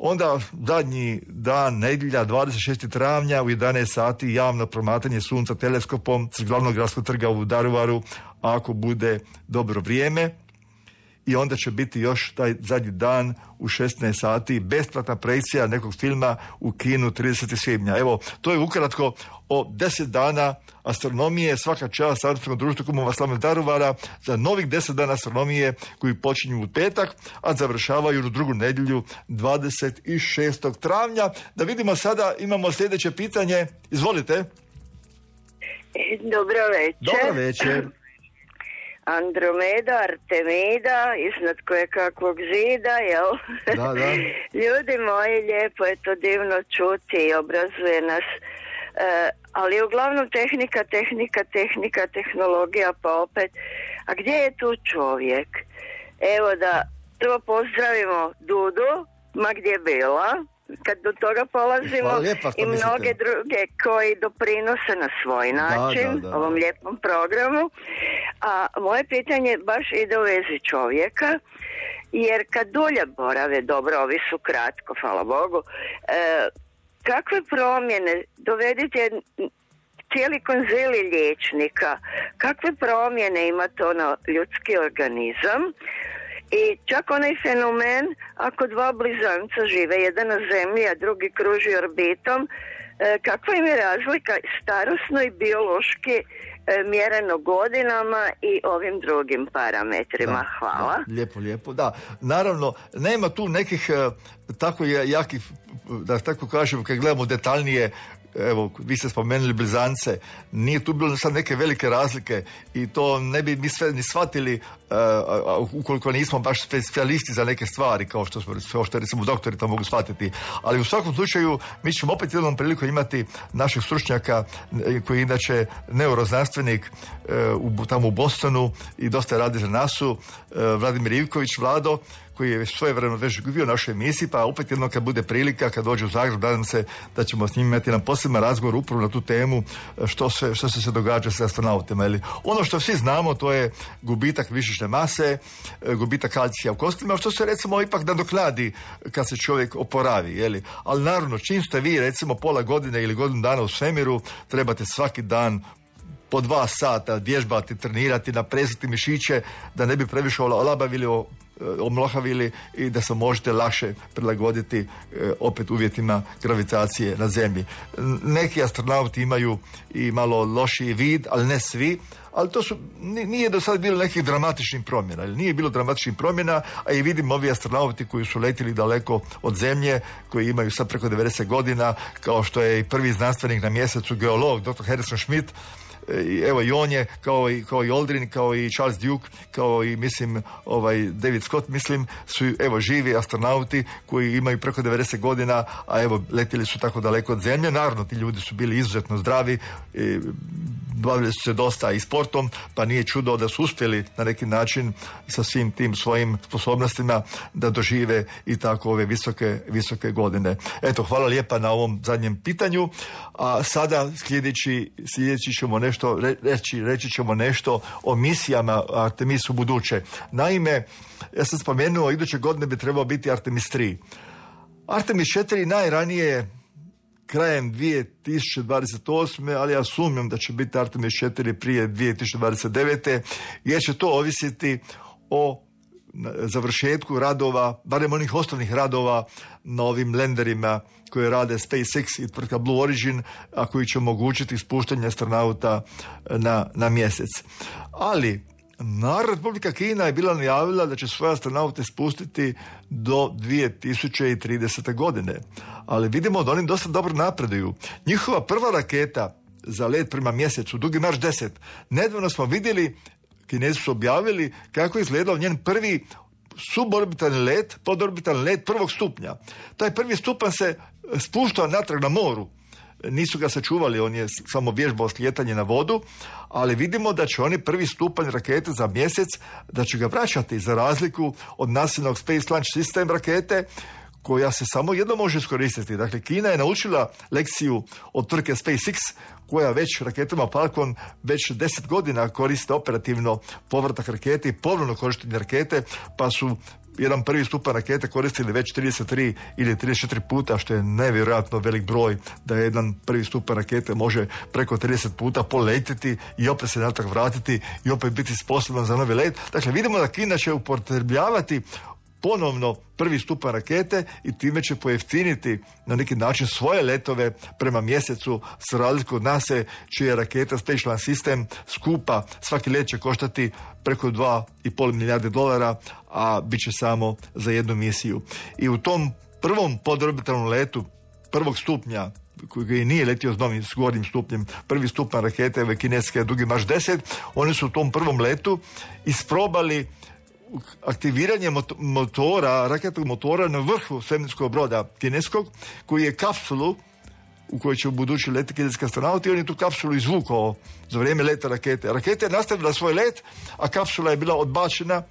Onda zadnji dan, nedjelja, dvadeset šestog travnja u jedanaest sati javno promatranje sunca teleskopom s glavnog gradskog trga u Daruvaru, ako bude dobro vrijeme. I onda će biti još taj zadnji dan u šesnaest sati besplatna projekcija nekog filma u kinu tridesetog svibnja. Evo, to je ukratko o deset dana astronomije, svaka čast Astronomskom društvu Kumova slama Daruvara za novih deset dana astronomije koji počinju u petak, a završavaju u drugu nedjelju dvadeset šestog travnja. Da vidimo sada, imamo sljedeće pitanje. Izvolite. Dobro večer. Dobro večer. Andromeda, Artemida, iznad koje kakvog zida, jel? Da, da. Ljudi moji, lijepo je to divno čuti i obrazuje nas. E, ali uglavnom tehnika, tehnika, tehnika, tehnologija, pa opet. A gdje je tu čovjek? Evo da prvo pozdravimo Dudu, ma gdje bila, kad do toga polazimo, lijepa, i mnoge druge koji doprinose na svoj način da, da, da. ovom lijepom programu. A moje pitanje baš ide u vezi čovjeka, jer kad dulje borave, dobro, ovi su kratko, hvala Bogu, e, kakve promjene, dovedite cijeli konzili liječnika, kakve promjene ima to na ljudski organizam I čak onaj fenomen, ako dva blizanca žive, jedan na zemlji, a drugi kruži orbitom, kakva im je razlika starosno i biološki mjereno godinama i ovim drugim parametrima. Da, hvala. Da, lijepo, lijepo, da. Naravno, nema tu nekih tako jakih, da tako kažem, kad gledamo detaljnije, evo, vi ste spomenuli blizance, nije tu bilo sad neke velike razlike i to ne bi mi sve ni shvatili uh, ukoliko nismo baš specijalisti za neke stvari, kao što smo, kao što recimo doktori to mogu shvatiti. Ali u svakom slučaju mi ćemo opet jednom priliku imati naših stručnjaka koji je inače neuroznanstvenik uh, u, tamo u Bostonu i dosta radi za nasu, uh, Vladimir Ivković, Vlado, koji je svojevremeno već bio u našoj emisiji, pa opet jednom kad bude prilika, kad dođe u Zagreb, nadam se da ćemo s njim imati jedan poseban razgovor upravo na tu temu što se, što se, se događa sa astronautima. Ili ono što svi znamo, to je gubitak mišićne mase, gubitak kalcija u kostima, što se recimo ipak nadoknadi kad se čovjek oporavi. Jeli? Ali naravno, čim ste vi recimo pola godine ili godinu dana u svemiru, trebate svaki dan po dva sata vježbati, trenirati, naprezati mišiće da ne bi previše olabavili, omlohavili i da se možete lakše prilagoditi e, opet uvjetima gravitacije na zemlji. Neki astronauti imaju i malo lošiji vid, ali ne svi, ali to su, nije do sada bilo nekih dramatičnih promjena, ili nije bilo dramatičnih promjena, a i vidim ovi astronauti koji su letili daleko od zemlje, koji imaju sad preko devedeset godina, kao što je i prvi znanstvenik na mjesecu, geolog, doktor Harrison Schmitt. I evo i on je, kao i, kao i Aldrin, kao i Charles Duke, kao i mislim ovaj David Scott, mislim, su evo živi astronauti koji imaju preko devedeset godina, a evo letili su tako daleko od zemlje. Naravno, ti ljudi su bili izuzetno zdravi, i bavili su se dosta i sportom, pa nije čudo da su uspjeli na neki način sa svim tim svojim sposobnostima da dožive i tako ove visoke, visoke godine. Eto, hvala lijepa na ovom zadnjem pitanju, a sada sljedeći, sljedeći ćemo nešto reći, reći ćemo nešto o misijama Artemis u buduće. Naime, ja sam spomenuo, iduće godine bi trebao biti Artemis tri. Artemis četiri najranije krajem dvije tisuće dvadeset osme, ali ja sumnjam da će biti Artemis četiri prije dvije tisuće dvadeset devete, jer će to ovisiti o završetku radova, barem onih osnovnih radova na ovim lenderima koje rade SpaceX i tvrtka Blue Origin, a koji će omogućiti spuštanje astronauta na, na mjesec. Ali Narodna Republika Kina je bila najavila da će svoje astronaute spustiti do dvije tisuće tridesete godine. Ali vidimo da oni dosta dobro napreduju. Njihova prva raketa za let prema mjesecu, Dugi marš deset, nedavno smo vidjeli, Kinezi su objavili kako je izgledao njen prvi suborbitalni let, podorbitalni let prvog stupnja. Taj prvi stupanj se spuštao natrag na moru. Nisu ga sačuvali, on je samo vježbao slijetanje na vodu, ali vidimo da će oni prvi stupanj rakete za mjesec, da će ga vraćati za razliku od nasilnog Space Launch System rakete, koja se samo jedno može iskoristiti. Dakle, Kina je naučila lekciju od tvrtke SpaceX, koja već raketama Falcon već deset godina koriste operativno povratak rakete i ponovno korištenje rakete, pa su jedan prvi stupanj rakete koristili već trideset tri ili trideset četiri puta, što je nevjerojatno velik broj da jedan prvi stupanj rakete može preko trideset puta poletiti i opet se natrag vratiti i opet biti sposoban za novi let. Dakle, vidimo da Kina će upotrebljavati ponovno prvi stupanj rakete i time će pojeftiniti na neki način svoje letove prema mjesecu, s razliku od nas čija raketa Space Launch System skupa, svaki let će koštati preko dva i pol milijarde dolara, a bit će samo za jednu misiju. I u tom prvom podorbitalnom letu prvog stupnja, koji nije letio s novim s gornjim stupnjem, prvi stupanj rakete ove kineske Dugi marš deset, oni su u tom prvom letu isprobali aktiviranje motora, raketnog motora na vrhu svemirskog broda kineskog, koji je kapsulu u kojoj će u budući leti kineski astronauti, i on je tu kapsulu izvukao za vrijeme leta rakete. Raketa je nastavila svoj let, a kapsula je bila odbačena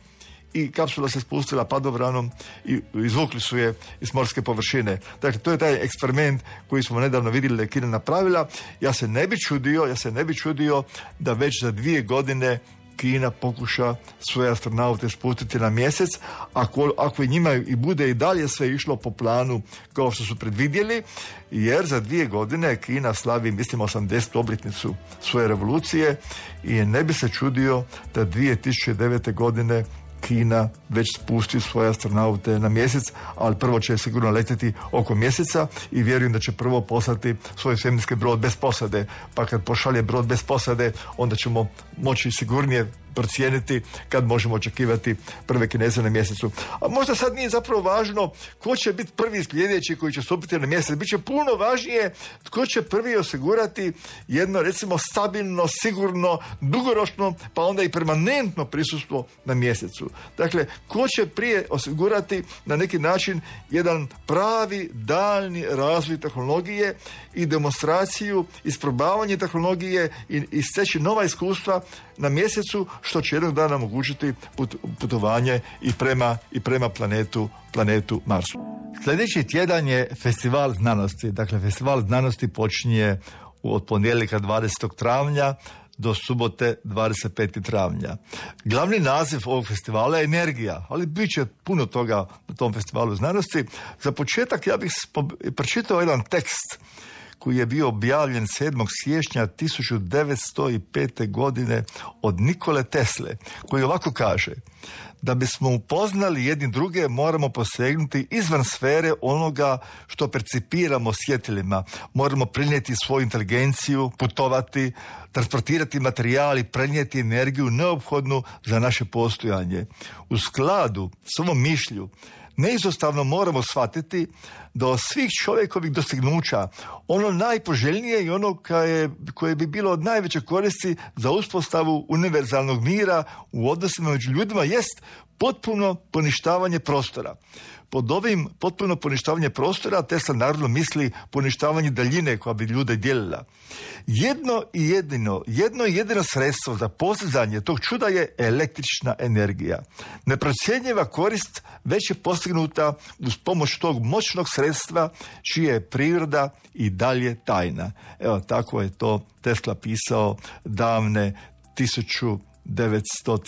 i kapsula se spustila padobranom i izvukli su je iz morske površine. Dakle, to je taj eksperiment koji smo nedavno vidjeli da je Kina napravila. Ja se ne bi čudio, ja se ne bi čudio da već za dvije godine Kina pokuša svoje astronaute spustiti na mjesec, ako, ako i njima i bude i dalje sve išlo po planu kao što su predvidjeli, jer za dvije godine Kina slavi, mislim, osamdesetu obljetnicu svoje revolucije i ne bi se čudio da dvije tisuće devete godine Kina već spusti svoje astronaute na mjesec, ali prvo će sigurno letjeti oko mjeseca i vjerujem da će prvo poslati svoj svemirski brod bez posade, pa kad pošalje brod bez posade, onda ćemo moći sigurnije procijeniti kad možemo očekivati prve Kineze na mjesecu. A možda sad nije zapravo važno ko će biti prvi sljedeći koji će stupiti na mjesec. Biće puno važnije tko će prvi osigurati jedno, recimo, stabilno, sigurno, dugoročno, pa onda i permanentno prisustvo na mjesecu. Dakle, ko će prije osigurati na neki način jedan pravi daljni razvoj tehnologije i demonstraciju, isprobavanje tehnologije i, i steći nova iskustva na mjesecu, što će jednog dana omogućiti put, putovanje i prema, i prema planetu, planetu Marsu. Sljedeći tjedan je Festival znanosti. Dakle, Festival znanosti počinje od ponedjeljka dvadesetog travnja do subote dvadeset petog travnja. Glavni naziv ovog festivala je energija, ali bit će puno toga na tom festivalu znanosti. Za početak ja bih pročitao jedan tekst koji je bio objavljen sedmog siječnja tisuću devetsto pete. godine od Nikole Tesle, koji ovako kaže: da bismo upoznali jedni druge, moramo posegnuti izvan sfere onoga što percipiramo svjetilima. Moramo prenijeti svoju inteligenciju, putovati, transportirati materijal i prenijeti energiju neophodnu za naše postojanje. U skladu s ovom mišlju neizostavno moramo shvatiti da od svih čovjekovih dostignuća ono najpoželjnije i ono koje, koje bi bilo od najveće koristi za uspostavu univerzalnog mira u odnosima među ljudima jest potpuno poništavanje prostora. Pod ovim potpuno poništavanje prostora Tesla naravno misli poništavanje daljine koja bi ljude dijelila. Jedno i jedino, jedno i jedino sredstvo za postizanje tog čuda je električna energija. Neprocjenjiva korist već je postignuta uz pomoć tog moćnog sredstva čija je priroda i dalje tajna. Evo, tako je to Tesla pisao davne tisuću devetsto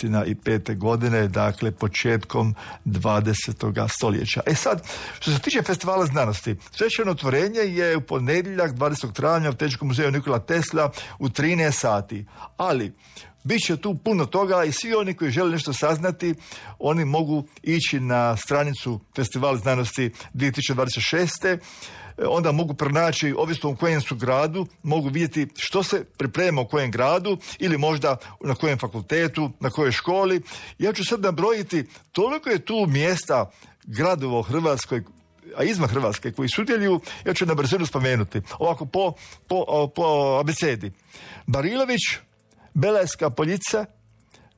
pete. godine, dakle početkom dvadesetog stoljeća. E sad, što se tiče Festivala znanosti, svečano otvorenje je u ponedjeljak dvadesetog travnja u Tehničkom muzeju Nikola Tesla u trinaest sati. Ali bit će tu puno toga i svi oni koji žele nešto saznati, oni mogu ići na stranicu Festival znanosti dvije tisuće dvadeset šeste. Onda mogu pronaći, ovisno u kojem su gradu, mogu vidjeti što se priprema u kojem gradu ili možda na kojem fakultetu, na kojoj školi. Ja ću sad nabrojiti, toliko je tu mjesta, gradova u Hrvatskoj, a izvan Hrvatske, koji sudjeluju, ja ću na brzinu spomenuti. Ovako po, po, po abecedi. Barilović, Belajska Poljica,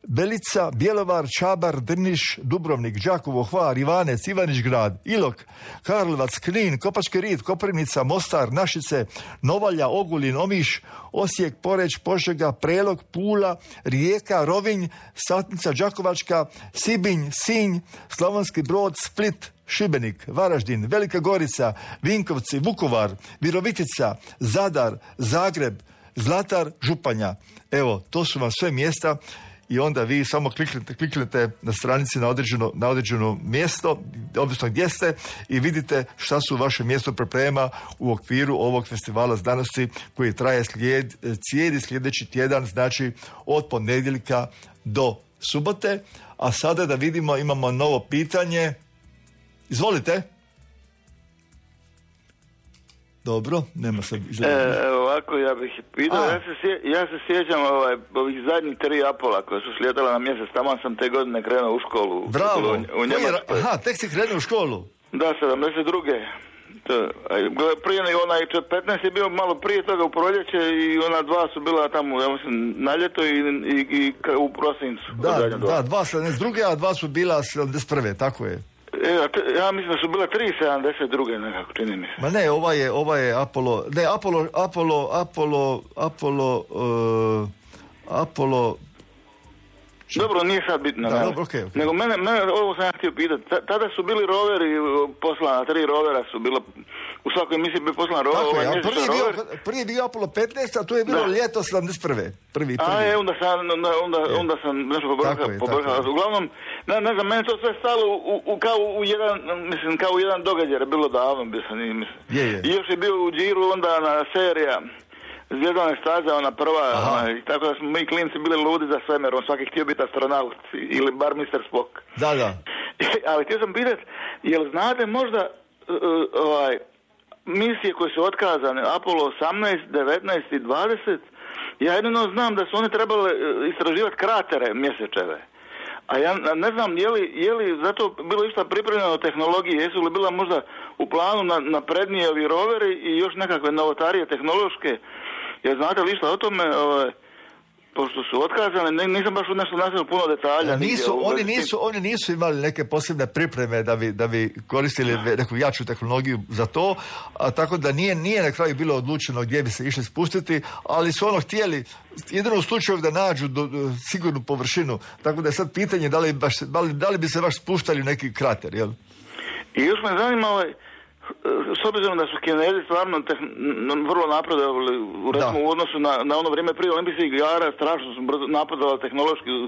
Belica, Bjelovar, Čabar, Drniš, Dubrovnik, Đakovo, Hvar, Ivanec, Ivanić Grad, Ilok, Karlovac, Knin, Kopački Rit, Koprivnica, Mostar, Našice, Novalja, Ogulin, Omiš, Osijek, Poreć, Požega, Prelog, Pula, Rijeka, Rovinj, Satnica, Đakovačka, Sibinj, Sinj, Slavonski Brod, Split, Šibenik, Varaždin, Velika Gorica, Vinkovci, Vukovar, Virovitica, Zadar, Zagreb, Zlatar, Županja. Evo, to su vam sve mjesta i onda vi samo kliknete, kliknete na stranici na određeno, na određeno mjesto, ovisno gdje ste, i vidite šta su vaše mjesto priprema u okviru ovog festivala znanosti koji traje slijed, cijeli sljedeći tjedan, znači od ponedjeljka do subote. A sada da vidimo, imamo novo pitanje. Izvolite. Dobro, nema se izgledati. E, ovako ja bih pitao, ja se, sje, ja se sjećam ovaj, ovih zadnjih tri Apola koje su slijetala na mjesec, tamo sam te godine krenuo u školu. Bravo, u, u Njemačkoj. Aha, tek si krenuo u školu. Da, sedamdeset druge. To, prije onaj petnaest je bio malo prije toga u proljeće i ona dva su bila tamo, ja mislim, na ljeto i, i, i u prosincu. Da, da, dva sedamdeset druge, a dva su bila sedamdeset prve, tako je. E, ja mislim da su bile tri sedamdeset druge nekako, čini mi se. Ma ne, ova je, ova je Apollo, ne, Apollo, Apollo, Apollo, Apollo, uh, Apollo... Dobro, nije sad bitno. Da, ne? dobro, okay, okay. Nego mene, mene, ovo sam ja htio pitati, tada su bili roveri poslana, tri rovera su bila, u svakoj emisiji bi poslana rover. Tako ovaj je, prvi je, bio, prvi je bio Apollo petnaest, a to je bilo da. ljeto sedamdeset prve. Prvi, prvi. A je, onda sam, onda, onda, onda sam nešto pobrkao. Uglavnom, ne, ne znam, meni to sve stalo u, u, kao u jedan, mislim, kao u jedan događaj, je bilo davno, bio sam, mislim. Je, je. I još je bio u Điru onda na serija zvjezdane staze, ona prva, ona, i tako da smo mi klinci bili ludi za svemirom, svaki htio biti astronaut ili bar mister Spock. Da, da. Ali htio sam pitati, jel znate možda uh, ovaj, misije koje su otkazane, Apollo osamnaest, devetnaest i dvadeset, ja jedino znam da su one trebale istraživati kratere mjesečeve. A ja ne znam je li, je li zato bilo išta pripremljeno tehnologije, jesu li bila možda u planu na, naprednije ovi roveri i još nekakve novotarije tehnološke, jer znate li išta o tome, ovaj, pošto su otkazane, nisam baš nešto nastavio puno detalja. Nisu, oni, nisu, oni nisu imali neke posebne pripreme da bi, da bi koristili neku jaču tehnologiju za to, a tako da nije, nije na kraju bilo odlučeno gdje bi se išli spustiti, ali su ono htjeli jedino u slučaju da nađu do, do, sigurnu površinu, tako da je sad pitanje da li, baš, da li, da li bi se baš spuštali u neki krater, jel? I još me zanima ovaj, s obzirom da su Kinezi stvarno tehn, vrlo napredovali u, recimo, u odnosu na, na ono vrijeme prije olimpijskih igara, strašno su brzo napredovali tehnološki u,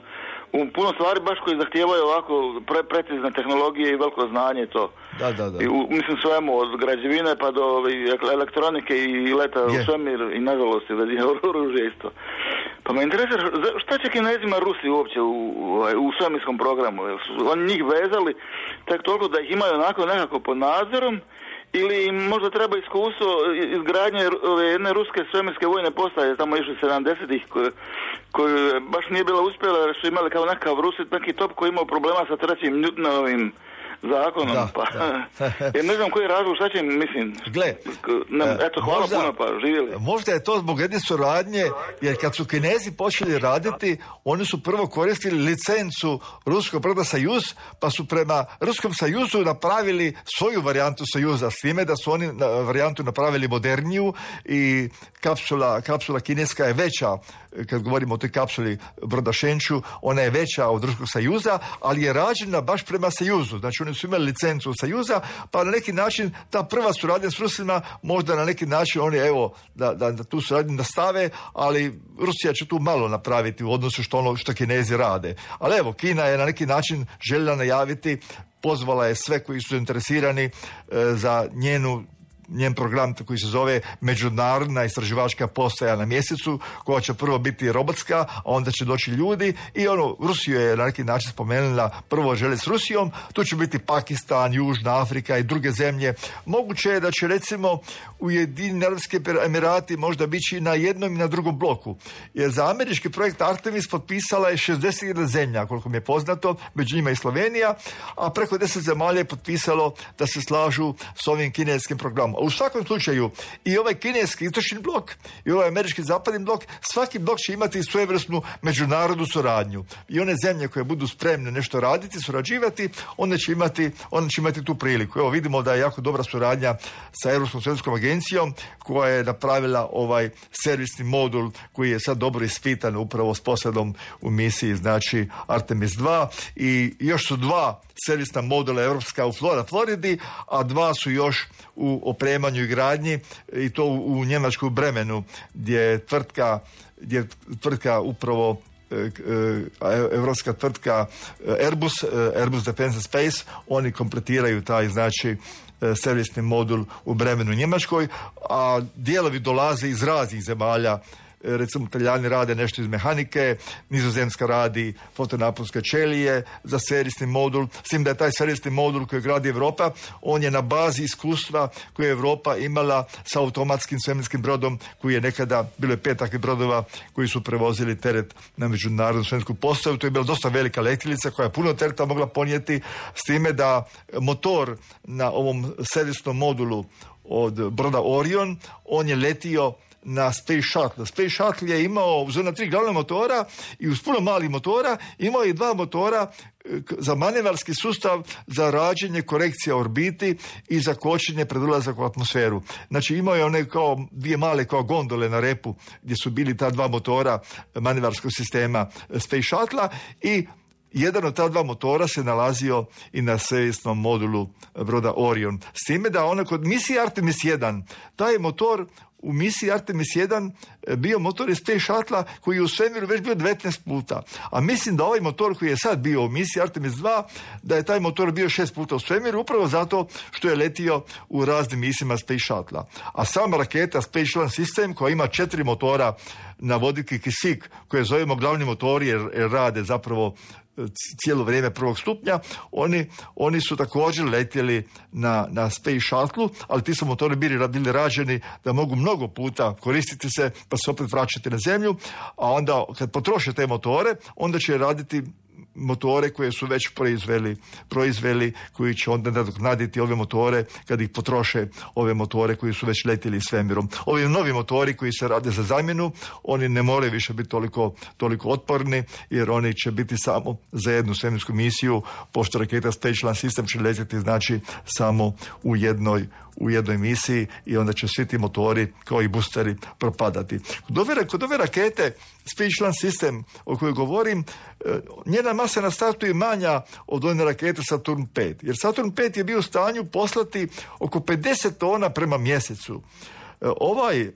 u puno stvari baš koji zahtijevaju ovako pre, precizne tehnologije i veliko znanje to. Da, da, da. I u, mislim svemu, od građevine pa do elektronike i leta u svemir i nažalost i oružje isto. Pa me interesira šta će Kinezima Rusi uopće u, u, u svemirskom programu? Oni njih vezali tek toliko da ih imaju onako nekako pod nadzorom, ili im možda treba iskustvo izgradnje ove jedne ruske svemirske vojne postaje tamo išli sedamdesetih koje, koje baš nije bila uspjela jer su imali kao nekakav Rusit, neki top koji imao problema sa trećim Newtonovim zakonom, da, pa da. Jer ne znam koji je razlog, šta će im, mislim. Gle, ne, eto, hvala možda, puno, pa živjeli. Možda je to zbog jedne suradnje, jer kad su Kinezi počeli raditi, oni su prvo koristili licencu ruskog broda Sojuz, pa su prema Ruskom Sojuzu napravili svoju varijantu Sojuza, s time da su oni na, varijantu napravili moderniju i kapsula, kapsula kineska je veća, kad govorimo o toj kapsuli broda Šenču, ona je veća od Ruskog Sojuza, ali je rađena baš prema Sojuzu. Znači oni su imali licencu Sojuza, pa na neki način ta prva suradnja s Rusima, možda na neki način oni evo da, da, da tu suradnju nastave, ali Rusija će tu malo napraviti u odnosu što ono što Kinezi rade. Ali evo, Kina je na neki način željela najaviti, pozvala je sve koji su zainteresirani e, za njenu njen program koji se zove Međunarodna istraživačka postaja na mjesecu, koja će prvo biti robotska, a onda će doći ljudi i ono, Rusiju je na neki način spomenula, prvo želi s Rusijom, tu će biti Pakistan, Južna Afrika i druge zemlje. Moguće je da će recimo Ujedinjeni Arapski Emirati možda biti na jednom i na drugom bloku. Jer za američki projekt Artemis potpisala je šezdeset jedna zemlja, koliko mi je poznato, među njima i Slovenija, a preko deset zemalja je potpisalo da se slažu s ovim kineskim programom. U svakom slučaju i ovaj kineski istočni blok i ovaj američki zapadni blok, svaki blok će imati svojevrsnu međunarodnu suradnju. I one zemlje koje budu spremne nešto raditi, surađivati, one će imati, one će imati tu priliku. Evo vidimo da je jako dobra suradnja sa Europskom svjetskom agencijom koja je napravila ovaj servisni modul koji je sad dobro ispitan upravo s posadom u misiji, znači Artemis dva, i još su dva servisna modula europska u Floridi, a dva su još u opremanju i gradnji, i to u, u Njemačkoj Bremenu, gdje je tvrtka, gdje je tvrtka upravo evropska tvrtka Airbus, Airbus Defence and Space, oni kompletiraju taj, znači, servisni modul u Bremenu Njemačkoj, a dijelovi dolaze iz raznih zemalja. Recimo Talijani rade nešto iz mehanike, Nizozemska radi fotonaponske ćelije za servisni modul, s tim da je taj servisni modul koji gradi Europa, on je na bazi iskustva koje je Europa imala sa automatskim svemirskim brodom koji je nekada, bilo je pet takvih brodova koji su prevozili teret na međunarodnu svemirsku postaju. To je bila dosta velika letjelica koja je puno tereta mogla ponijeti, s time da motor na ovom servisnom modulu od broda Orion, on je letio na Space Shuttle. Space Shuttle je imao uz ona tri glavna motora i uz puno malih motora imao je dva motora za manevarski sustav za rađenje korekcija orbiti i za kočenje pred ulazak u atmosferu. Znači imao je one kao dvije male kao gondole na repu gdje su bili ta dva motora manevarskog sistema Space Shuttle i jedan od ta dva motora se nalazio i na servisnom modulu broda Orion. S time da ona kod misije Artemis jedan, taj motor u misiji Artemis jedan bio motor iz Space Shuttle koji je u svemiru već bio devetnaest puta. A mislim da ovaj motor koji je sad bio u misiji Artemis dva, da je taj motor bio šest puta u svemiru, upravo zato što je letio u raznim misijama Space Shuttle. A sama raketa Space Launch System koja ima četiri motora na vodik i kisik, koje zovemo glavni motori jer, jer rade zapravo cijelo vrijeme prvog stupnja, oni, oni su također letjeli na, na Space Shuttle, ali ti su motori bili, bili rađeni da mogu mnogo puta koristiti se, pa se opet vraćati na zemlju, a onda kad potroše te motore, onda će raditi motore koje su već proizveli, proizveli koji će onda nadoknaditi ove motore kad ih potroše ove motore koji su već letjeli svemirom. Ovi novi motori koji se rade za zamjenu, oni ne moraju više biti toliko, toliko otporni jer oni će biti samo za jednu svemirsku misiju, pošto raketa Space Launch System će letjeti znači samo u jednoj u jednoj misiji i onda će svi ti motori kao i boosteri propadati. Kod ove, kod ove rakete Space Launch System o kojoj govorim, njena masa na startu je manja od one rakete Saturn pet, jer Saturn pet je bio u stanju poslati oko pedeset tona prema mjesecu. Ovaj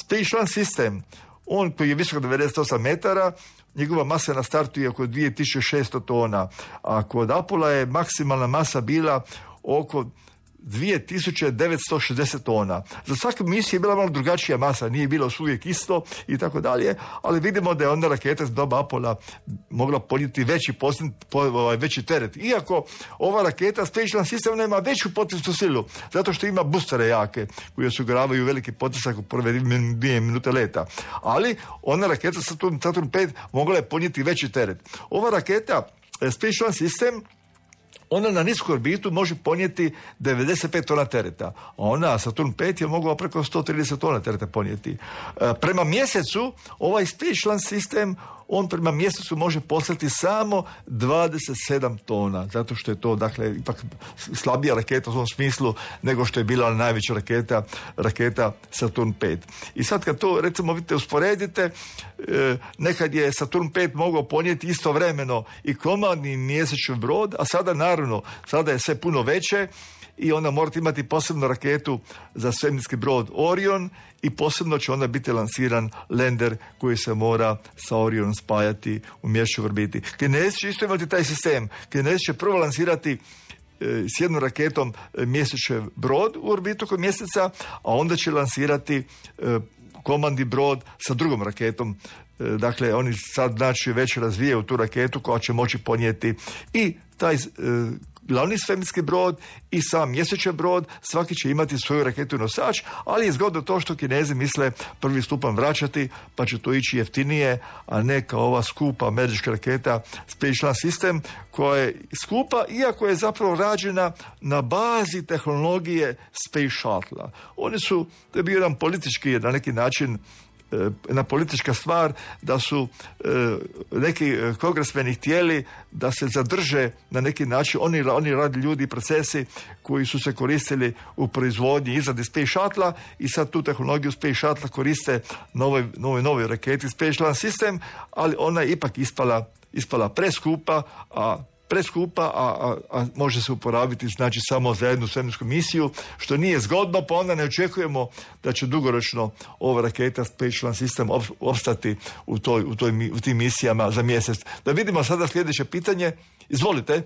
Space Launch System, on koji je visok devedeset osam metara, njegova masa na startu je oko dvije tisuće šesto tona, a kod Apollo je maksimalna masa bila oko dvije tisuće devetsto šezdeset tona. Za svaku misiju je bila malo drugačija masa, nije bilo uvijek isto i tako dalje, ali vidimo da je onda raketa s doba Apollo mogla podnijeti veći, posljed, po, veći teret. Iako ova raketa Space Launch System nema veću potisnu silu, zato što ima boostere jake, koji osiguravaju veliki potisak u prve dvije minute leta. Ali ona raketa Saturn, Saturn pet mogla je podnijeti veći teret. Ova raketa Space Launch System, ona na nisku orbitu može ponijeti devedeset pet tona tereta, a ona Saturn pet je mogla preko sto trideset tona tereta ponijeti. E, prema mjesecu, ovaj Space Launch System, on prema mjesecu može poslati samo dvadeset sedam tona, zato što je to, dakle, ipak slabija raketa u tom smislu nego što je bila najveća raketa, raketa Saturn pet. I sad kad to, recimo, vidite, usporedite, e, nekad je Saturn pet mogao ponijeti istovremeno i komandni mjesečni brod, a sada, naravno, sada je sve puno veće i onda morate imati posebnu raketu za svemirski brod Orion i posebno će onda biti lansiran lander koji se mora sa Orionom spajati u mjesečnoj orbiti. Kinezi će isto imati taj sistem. Kinezi će prvo lansirati e, s jednom raketom e, mjesečni brod u orbitu kod mjeseca, a onda će lansirati e, komandni brod sa drugom raketom. E, dakle, oni sad znači već razvijaju tu raketu koja će moći ponijeti i taj e, glavni svemirski brod i sam mjesečni brod, svaki će imati svoju raketu nosač, ali je zgodno to što Kinezi misle prvi stupanj vraćati, pa će to ići jeftinije, a ne kao ova skupa američka raketa Space Launch System, koja je skupa, iako je zapravo rađena na bazi tehnologije Space Shuttle. Oni su, to je bio jedan politički, na neki način, jedna politička stvar, da su e, neki kongresmeni htjeli da se zadrže na neki način oni, oni radi ljudi i procesi koji su se koristili u proizvodnji izradi Space Shuttle i sad tu tehnologiju Space Shuttle koriste na ovoj, novoj, novoj raketi Space Launch System, ali ona je ipak ispala, ispala preskupa, a preskupa, a, a, a može se uporabiti znači samo za jednu svemirsku misiju, što nije zgodno, pa onda ne očekujemo da će dugoročno ova raketa Space Launch System opstati u, toj, u, toj, u tim misijama za mjesec. Da vidimo sada sljedeće pitanje. Izvolite.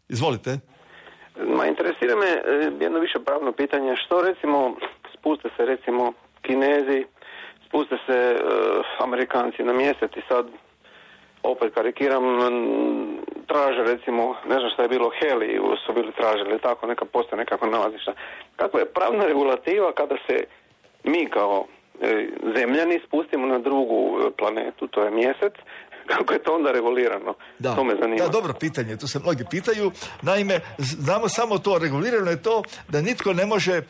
Izvolite. Ma, interesira me jedno više pravno pitanje. Što recimo, spuste se recimo Kinezi, spuste se uh, Amerikanci na mjesec i sad opet karikiram, traže recimo, ne znam šta je bilo, heli su bili tražili, tako, neka postoje nekako nalazišta. Kakva je pravna regulativa kada se mi kao e, zemljani spustimo na drugu planetu, to je mjesec, kako je to onda regulirano? Da. To me zanima. Da, dobro pitanje, to se mnogi pitaju. Naime, znamo samo to, regulirano je to da nitko ne može e,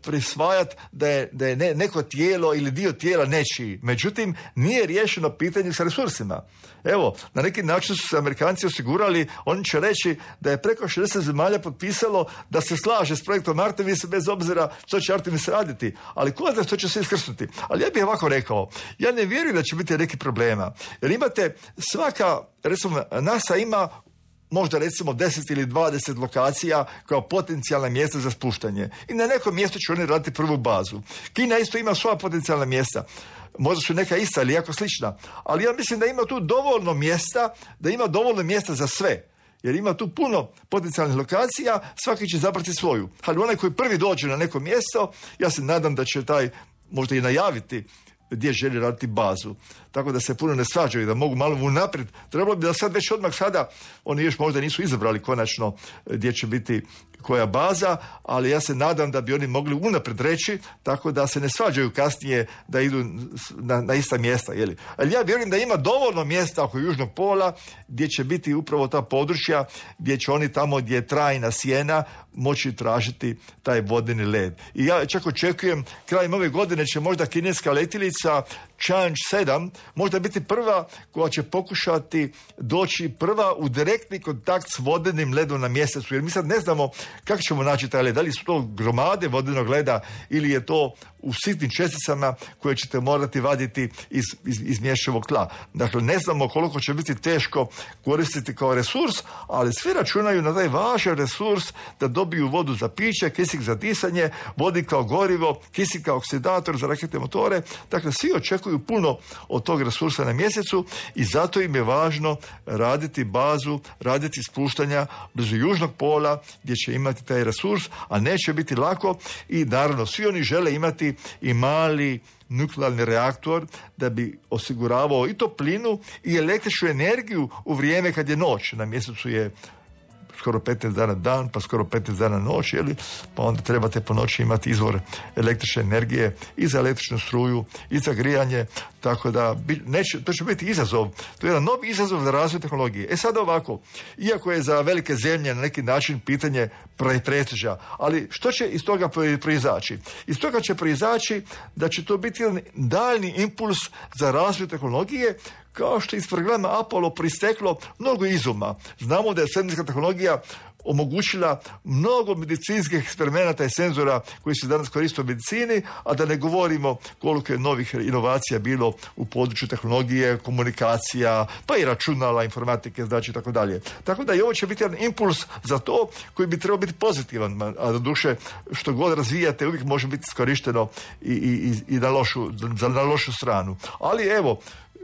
prisvajati da je, da je ne, neko tijelo ili dio tijela nečiji. Međutim, nije riješeno pitanje sa resursima. Evo, na neki način su se Amerikanci osigurali, oni će reći da je preko šezdeset zemalja potpisalo da se slaže s projektom Artemis bez obzira što će Artemis raditi. Ali ko zna što će se iskrsnuti? Ali ja bih ovako rekao, ja ne vjerujem da će biti neki problema. Jer imate svaka, recimo NASA ima možda recimo deset ili dvadeset lokacija kao potencijalna mjesta za spuštanje. I na nekom mjestu će oni raditi prvu bazu. Kina isto ima svoja potencijalna mjesta. Možda su neka ista ili jako slična. Ali ja mislim da ima tu dovoljno mjesta, da ima dovoljno mjesta za sve. Jer ima tu puno potencijalnih lokacija, svaki će zabrati svoju. Ali onaj koji prvi dođe na neko mjesto, ja se nadam da će taj možda i najaviti gdje želi raditi bazu. Tako da se puno ne svađaju, da mogu malo unaprijed. Trebalo bi da sad već odmah sada, oni još možda nisu izabrali konačno gdje će biti koja baza, ali ja se nadam da bi oni mogli unaprijed reći, tako da se ne svađaju kasnije da idu na, na ista mjesta. Jeli? Ali ja vjerujem da ima dovoljno mjesta oko Južnog pola gdje će biti upravo ta područja gdje će oni tamo gdje je trajna sjena moći tražiti taj vodeni led. I ja čak očekujem, krajem ove godine će možda kineska letjelica Chang'e sedam možda biti prva koja će pokušati doći prva u direktni kontakt s vodenim ledom na mjesecu, jer mi sad ne znamo kako ćemo naći taj led, da li su to gromade vodenog leda ili je to u sitnim česticama koje ćete morati vaditi iz, iz, iz mješavog tla. Dakle, ne znamo koliko će biti teško koristiti kao resurs, ali svi računaju na taj važan resurs da dobiju vodu za piće, kisik za disanje, vodik kao gorivo, kisik kao oksidator za raketne motore. Dakle, svi očekuju puno od tog resursa na mjesecu i zato im je važno raditi bazu, raditi spuštanja blizu Južnog pola gdje će imati taj resurs, a neće biti lako i naravno svi oni žele imati i mali nuklearni reaktor da bi osiguravao i toplinu i električnu energiju u vrijeme kad je noć. Na mjesecu je skoro petnaest dana dan, pa skoro petnaest dana noć, jeli? Pa onda trebate po noći imati izvor električne energije i za električnu struju i za grijanje, tako da neće, to će biti izazov. To je jedan novi izazov za razvoj tehnologije. E sad ovako, iako je za velike zemlje na neki način pitanje prestiža, ali što će iz toga proizaći? Iz toga će proizaći da će to biti jedan daljni impuls za razvoj tehnologije, kao što je iz programa Apollo pristeklo mnogo izuma. Znamo da je svemirska tehnologija omogućila mnogo medicinskih eksperimenata i senzora koji se danas koriste u medicini, a da ne govorimo koliko je novih inovacija bilo u području tehnologije, komunikacija, pa i računala, informatike, znači tako dalje. Tako da i ovo će biti jedan impuls za to koji bi trebao biti pozitivan, a do duše što god razvijate uvijek može biti iskorišteno i, i, i na, lošu, za, na lošu stranu. Ali evo,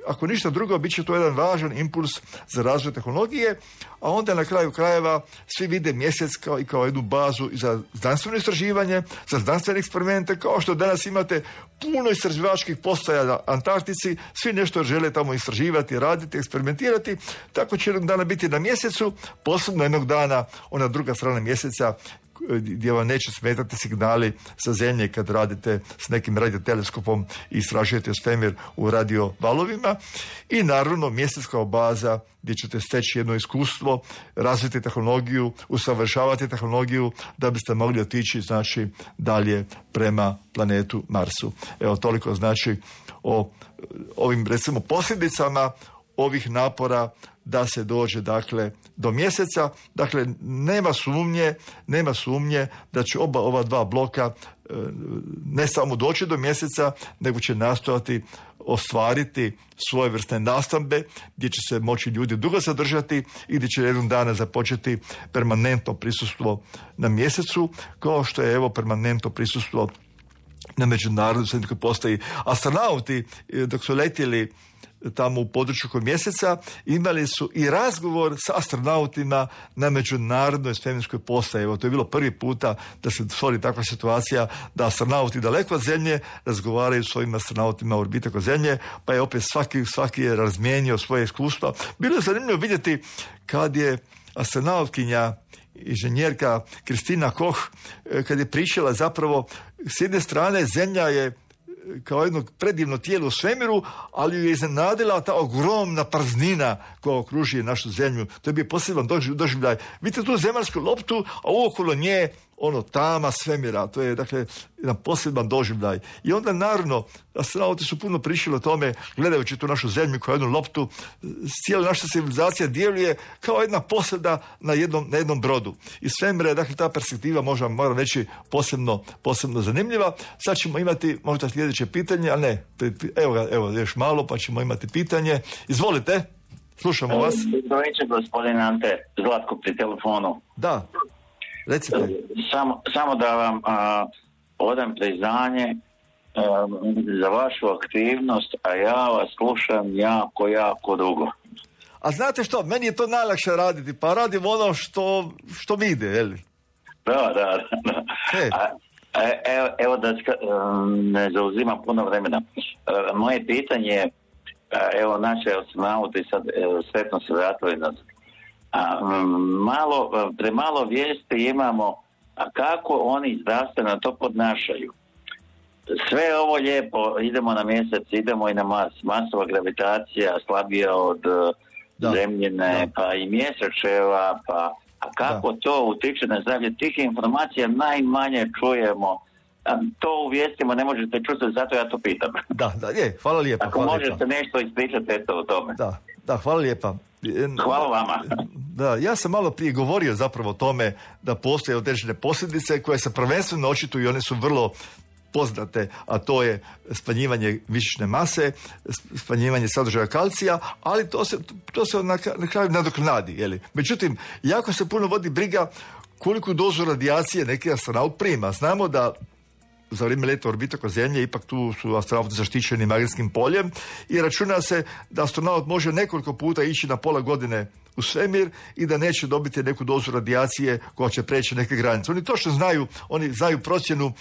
ako ništa drugo, bit će to jedan važan impuls za razvoj tehnologije, a onda na kraju krajeva svi vide mjesec kao i kao jednu bazu za znanstveno istraživanje, za znanstvene eksperimente, kao što danas imate puno istraživačkih postaja na Antarktici, svi nešto žele tamo istraživati, raditi, eksperimentirati, tako će jednog dana biti na mjesecu, posebno jednog dana ona druga strana mjeseca gdje vam neće smetati signali sa zemlje kad radite s nekim radioteleskopom i istražujete svemir u radio valovima. I naravno mjesec kao baza gdje ćete steći jedno iskustvo, razviti tehnologiju, usavršavati tehnologiju da biste mogli otići znači dalje prema planetu Marsu. Evo toliko znači o ovim recimo posljedicama ovih napora da se dođe dakle do mjeseca. Dakle, nema sumnje, nema sumnje da će oba ova dva bloka e, ne samo doći do mjeseca, nego će nastojati ostvariti svojevrsne nastambe gdje će se moći ljudi dugo zadržati i gdje će jednog dana započeti permanentno prisustvo na mjesecu, kao što je evo permanentno prisustvo na međunarodnoj svemirskoj postaji. Astronauti dok su letjeli tamo u području kod mjeseca imali su i razgovor sa astronautima na međunarodnoj svemirskoj postaji. Evo, to je bilo prvi puta da se stvori takva situacija da astronauti daleko od Zemlje razgovaraju s svojim astronautima u orbiti oko Zemlje, pa je opet svaki, svaki je razmijenio svoje iskustva. Bilo je zanimljivo vidjeti kad je astronautkinja inženjerka Kristina Koch kad je pričala zapravo s jedne strane Zemlja je kao jedno predivno tijelo u svemiru, ali ju je iznenadila ta ogromna praznina koja okružuje našu zemlju. To je bio poseban doživljaj. Vidite tu zemaljsku loptu, a okolo nje ono tama svemira. To je dakle jedan poseban doživljaj. I onda naravno astronauti su puno pričali o tome gledajući tu našu zemlju kao jednu loptu. Cijela naša civilizacija djeluje kao jedna posada na jednom, na jednom brodu. I svemira je dakle ta perspektiva možda moram reći posebno, posebno zanimljiva. Sad ćemo imati možda sljedeće pitanje, ali ne, evo ga, evo još malo pa ćemo imati pitanje. Izvolite, Slušamo vas. Dobro večer, gospodin Ante, Zlatko pri telefonu. Da, recite. Samo, samo da vam a, odam priznanje a, za vašu aktivnost, a ja vas slušam jako, jako dugo. A znate što, meni je to najlakše raditi, pa radim ono što, što mi ide, je li? Da, da, da. Hey. A, evo, evo da ne zauzimam puno vremena. Moje pitanje je, evo naše astronauti sad sretno se vratili nas. Malo, premalo vijesti imamo, a kako oni zdravstveno to podnašaju. Sve ovo lijepo, idemo na mjesec, idemo i na Mars, Marsova gravitacija slabija od da. Zemljine, da. Pa i mjesečeva, pa a kako da. To utiče na zdravlje? Tih informacija najmanje čujemo. To u vijestima ne možete čuti, zato ja to pitam. Da, da, je, hvala lijepa. Ako hvala možete lijepa. Nešto ispričati, eto o tome. Da, da, hvala lijepa. Hvala vama. Da, ja sam malo prije govorio zapravo o tome da postoje određene posljedice koje se prvenstveno očituju i one su vrlo poznate, a to je smanjivanje mišićne mase, smanjivanje sadržaja kalcija, ali to se, to se na, na kraju nadoknadi. Jeli? Međutim, jako se puno vodi briga koliku dozu radijacije neki astronaut prima. Znamo da za vrijeme leta orbite oko Zemlje ipak tu su astronauti zaštićeni magnetskim poljem i računa se da astronaut može nekoliko puta ići na pola godine u svemir i da neće dobiti neku dozu radijacije koja će preći neke granice. Oni točno znaju, oni znaju procjenu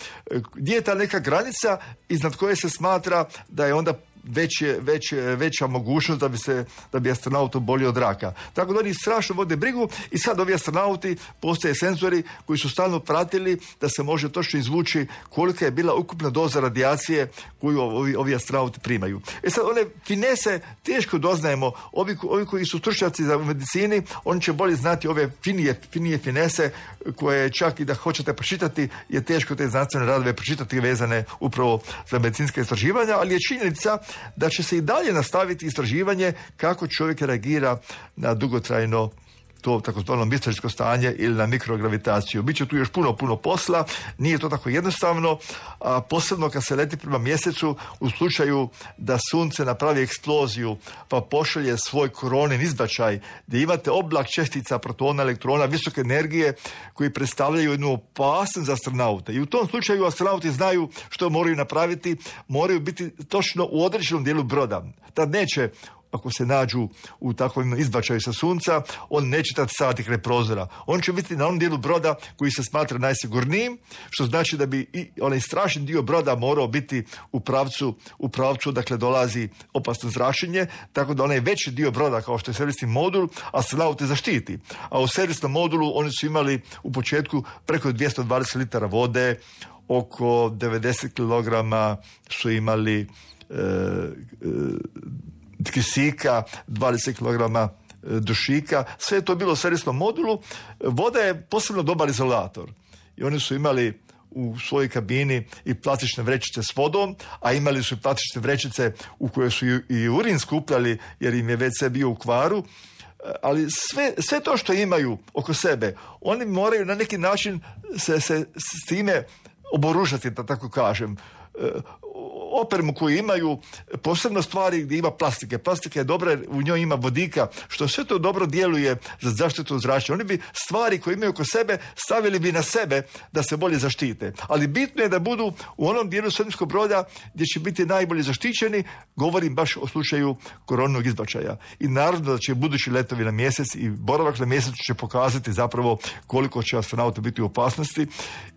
gdje je ta neka granica iznad koje se smatra da je onda Već je, već, veća mogućnost da bi se da bi astronaut obolio od raka. Tako da oni strašno vode brigu i sad ovi astronauti postoje senzori koji su stalno pratili da se može točno izvući kolika je bila ukupna doza radijacije koju ovi, ovi astronauti primaju. E sad one finese teško doznajemo. Ovi, ovi koji su stručnjaci za medicini, oni će bolje znati ove finije, finije finese koje čak i da hoćete pročitati je teško te znanstvene radove pročitati vezane upravo za medicinska istraživanja, ali je činjenica da će se i dalje nastaviti istraživanje kako čovjek reagira na dugotrajno to takozvano misteričko stanje ili na mikrogravitaciju. Biće tu još puno, puno posla, nije to tako jednostavno, a posebno kad se leti prema mjesecu u slučaju da sunce napravi eksploziju pa pošalje svoj koronin izbačaj gdje imate oblak čestica, protona, elektrona, visoke energije koji predstavljaju jednu opasnost za astronaute. I u tom slučaju astronauti znaju što moraju napraviti, moraju biti točno u određenom dijelu broda. Tad neće, ako se nađu u takvom izbačaju sa sunca, on neće tad staviti kraj prozora. On će biti na onom dijelu broda koji se smatra najsigurnijim, što znači da bi i onaj strašni dio broda morao biti u pravcu, u pravcu, dakle dolazi opasno zračenje, tako da onaj veći dio broda, kao što je servisni modul, astronauti zaštiti. A u servisnom modulu oni su imali u početku preko dvjesto dvadeset litara vode, oko devedeset kilograma su imali e, e, kisika, dvadeset kilograma dušika, sve je to bilo u servisnom modulu. Voda je posebno dobar izolator i oni su imali u svojoj kabini i plastične vrećice s vodom, a imali su i plastične vrećice u koje su i urin skupljali jer im je ve ce bio u kvaru, ali sve, sve to što imaju oko sebe, oni moraju na neki način se, se s time oboružati, da tako kažem. Opremu koju imaju, posebno stvari gdje ima plastike. Plastika je dobra jer u njoj ima vodika, što sve to dobro djeluje za zaštitu od zračenja. Oni bi stvari koje imaju oko sebe stavili bi na sebe da se bolje zaštite. Ali bitno je da budu u onom dijelu svemirskog broda gdje će biti najbolje zaštićeni, govorim baš o slučaju koronog izbačaja. I naravno da će budući letovi na mjesec i boravak na mjesecu će pokazati zapravo koliko će astronauta biti u opasnosti.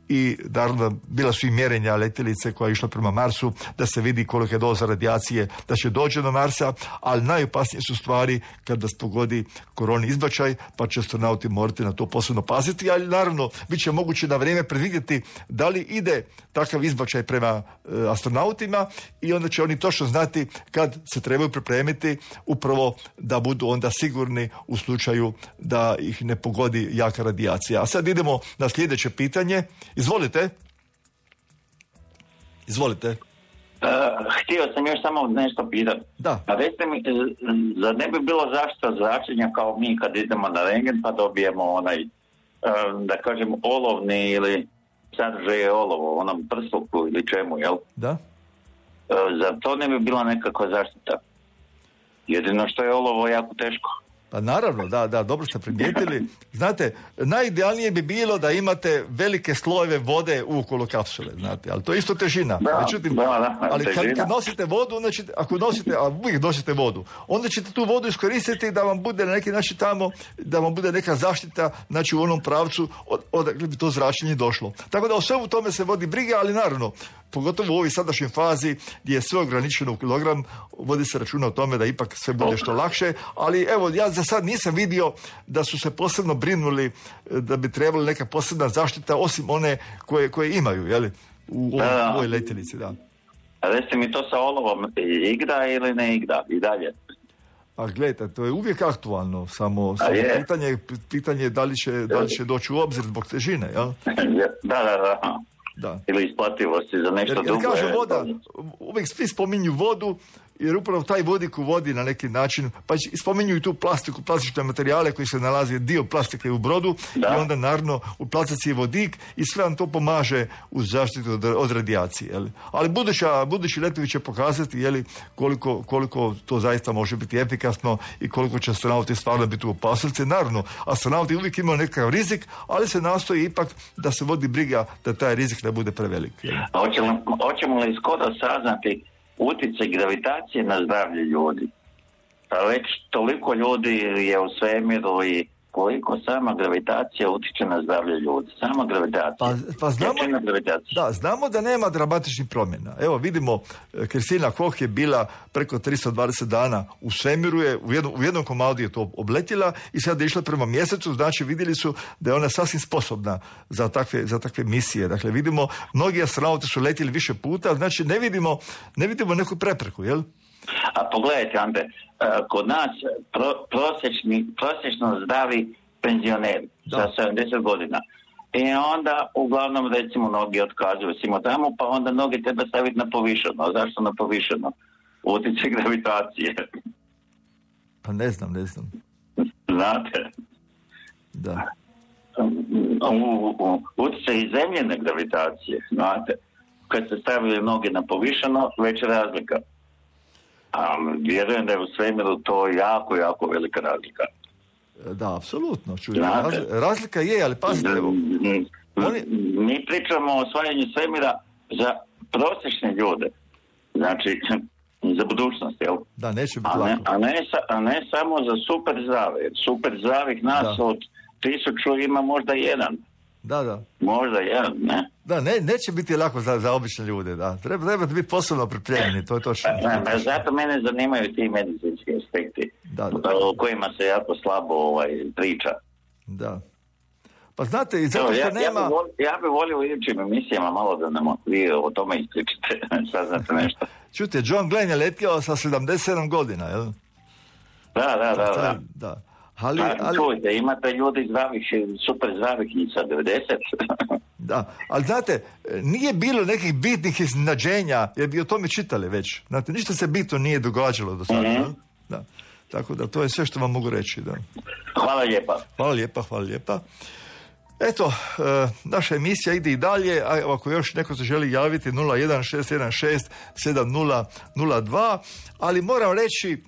I naravno bila su i mjerenja letjelice koja je išla prema Marsu da se vidi kolika je doza radijacije da će doći do Marsa, ali najopasnije su stvari kad vas pogodi koroni izbačaj, pa će astronauti morati na to posebno paziti, ali naravno bit će moguće na vrijeme predvidjeti da li ide takav izbačaj prema e, astronautima i onda će oni točno znati kad se trebaju pripremiti upravo da budu onda sigurni u slučaju da ih ne pogodi jaka radijacija. A sad idemo na sljedeće pitanje. Izvolite. Izvolite. Uh, htio sam još samo nešto pitati. Da. A recite mi, zar ne bi bilo zaštita zračenja kao mi kad idemo na rentgen pa dobijemo onaj, uh, da kažem, olovni ili sadržaje olovo, onom prsluku ili čemu, jel? Da. Uh, zar to ne bi bila nekakva zaštita? Jedino što je olovo jako teško. Pa naravno, da, da, dobro ste primijetili. Znate, najidealnije bi bilo da imate velike slojeve vode ukolo kapsule, znate, ali to je isto težina. Da, Međutim, da, da, ali kad, težina. kad nosite vodu, onda ćete, ako nosite, a uvijek nosite vodu, onda ćete tu vodu iskoristiti da vam bude na neki način tamo, da vam bude neka zaštita, znači u onom pravcu od, odakle bi to zračenje došlo. Tako da o svemu tome se vodi briga, ali naravno, pogotovo u ovoj sadašnjoj fazi gdje je sve ograničeno u kilogram, vodi se računa o tome da ipak sve bude što lakše, ali evo, ja za sad nisam vidio da su se posebno brinuli da bi trebala neka posebna zaštita osim one koje, koje imaju, jeli, u, u, Da. u ovoj letjelici, da. A recite mi, to sa olovom igra ili ne igra i dalje? A gledajte, to je uvijek aktualno, samo, A samo je. pitanje, pitanje je da li će, da li će doći u obzir zbog težine, jel? Da, da, da. Da. Ili isplativosti za nešto Jer, jer drugo. kažu je- voda, uvijek svi spominju vodu, jer upravo taj vodik u vodi na neki način, pa i spominju i tu plastiku, plastične materijale koji se nalazi, dio plastike u brodu, Da. i onda naravno u plastici je vodik i sve vam to pomaže u zaštitu od, od radijacije. Jeli? Ali buduća, budući letovi će pokazati, jeli, koliko, koliko to zaista može biti efikasno i koliko će astronauti stvarno biti u opasnosti. Naravno, astronauti uvijek imaju nekakav rizik, ali se nastoji ipak da se vodi briga da taj rizik ne bude prevelik. Jeli? A hoćemo, hoćemo li skoro saznati utjecaj gravitacije na zdravlje ljudi? Pa već toliko ljudi je u svemiru i koliko sama gravitacija utječe na zdravlje ljudi. Sama gravitacija. Pa, pa znamo, Jačina gravitacije. da, znamo da nema dramatičnih promjena. Evo vidimo, e, Kristina Koch je bila preko tristo dvadeset dana u svemiru, je, u, jednom, u jednom komadu je to obletila i sad je išla prema mjesecu, znači vidjeli su da je ona sasvim sposobna za takve, za takve misije. Dakle, vidimo, mnogi astronauti su letjeli više puta, znači ne vidimo, ne vidimo neku prepreku, jel? A pogledajte, Ante, e, kod nas pro, prosječni, prosječno zdravi penzioneri za sedamdeset godina. I onda, uglavnom, recimo, noge otkazuju simo tamo, pa onda noge treba staviti na povišeno. Zašto na povišeno? Utjecaj gravitacije. Pa ne znam, ne znam. Znate? Da. U, u, utjecaj i zemljene gravitacije, znate? Kad se stavili noge na povišeno, već je razlika. A vjerujem da je u svemiru to jako, jako velika razlika. Da, apsolutno. Čuj, Znate? raz, razlika je, ali pazite, evo. Oni... Mi pričamo o osvajanju svemira za prosječne ljude. Znači, za budućnost, jel? Da, neće biti a ne, lako. a, ne, sa- a ne samo za super zdrave. Super zdravih nas Da. od tisuću ima možda jedan. Da, da. Možda jedan, ne? Da, ne, neće biti lako za, za obične ljude, da. Treba, trebate biti posebno pripremljeni, to je točno. Ne, ne, zato mene zanimaju ti medicinski aspekti Da, da. o kojima se jako slabo ovaj, priča. Da. Pa znate, i zato Evo, što ja, ja, nema... bi volio, ja bi volio u idućim emisijama malo da nam vi o tome ispričate, saznate nešto. Čujte, John Glenn je letio sa sedamdeset sedam godina, jel? Da, da, da. Sad, da. da. Ali, Pa, ali, čujte, imate ljudi zdravih, super zdravih i sa devedeset. da, ali znate, nije bilo nekih bitnih iznenađenja, jer bi o tome čitali već. Znate, ništa se bitno nije događalo do sada. Mhm. jel? Da. Tako da, to je sve što vam mogu reći, da. Hvala lijepa. Hvala lijepa, hvala lijepa. Eto, e, naša emisija ide i dalje, a evo, ako još neko se želi javiti nula jedan šest jedan šest sedam nula nula dva, ali moram reći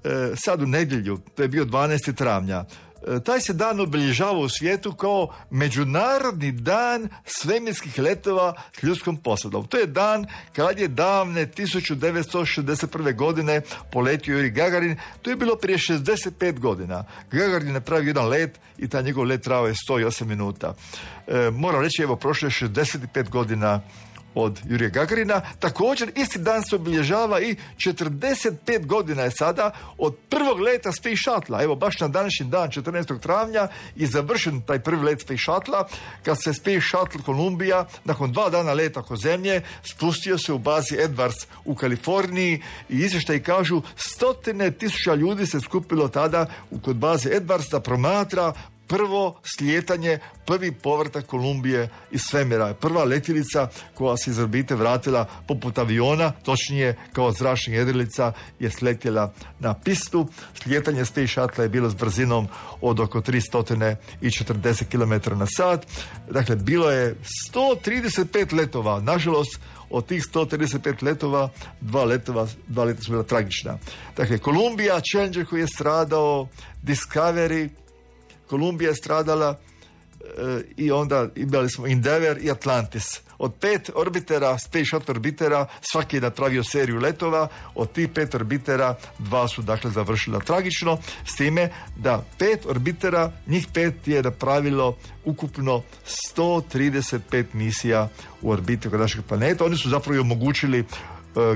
e, sad u nedjelju, to je bio dvanaesti travnja, e, taj se dan obilježava u svijetu kao Međunarodni dan svemirskih letova s ljudskom posadom. To je dan kad je davne tisuću devetsto šezdeset prve. godine poletio Juri Gagarin. To je bilo prije šezdeset pet godina. Gagarin je napravio jedan let i taj njegov let trajao je sto osam minuta. E, moram reći, evo, prošlo je šezdeset pet godina od Jurija Gagarina. Također, isti dan se obilježava i četrdeset pet godina je sada od prvog leta Space Shuttle. Evo, baš na današnji dan, četrnaestog travnja, je završen taj prvi let Space Shuttle, kad se Space Shuttle Columbia, nakon dva dana leta oko zemlje, spustio se u bazi Edwards u Kaliforniji i izvještaji kažu stotine tisuća ljudi se skupilo tada u kod baze Edwards da promatra prvo slijetanje, prvi povratak Kolumbije iz svemira. Prva letjelica koja se iz orbite vratila poput aviona, točnije kao zračna jedrilica, je sletjela na pistu. Slijetanje Space Shuttle je bilo s brzinom od oko tristo četrdeset kilometara na sat. Dakle, bilo je sto trideset pet letova. Nažalost, od tih sto trideset pet letova, dva letova, dva leta su bila tragična. Dakle, Columbia, Challenger koji je stradao, Discovery, Columbia je stradala e, i onda imali smo Endeavour i Atlantis. Od pet orbitera, Space Shuttle orbitera, svaki je napravio seriju letova. Od tih pet orbitera, dva su dakle završila tragično, s time da pet orbitera, njih pet je napravilo ukupno sto trideset pet misija u orbiti oko našeg planeta. Oni su zapravo omogućili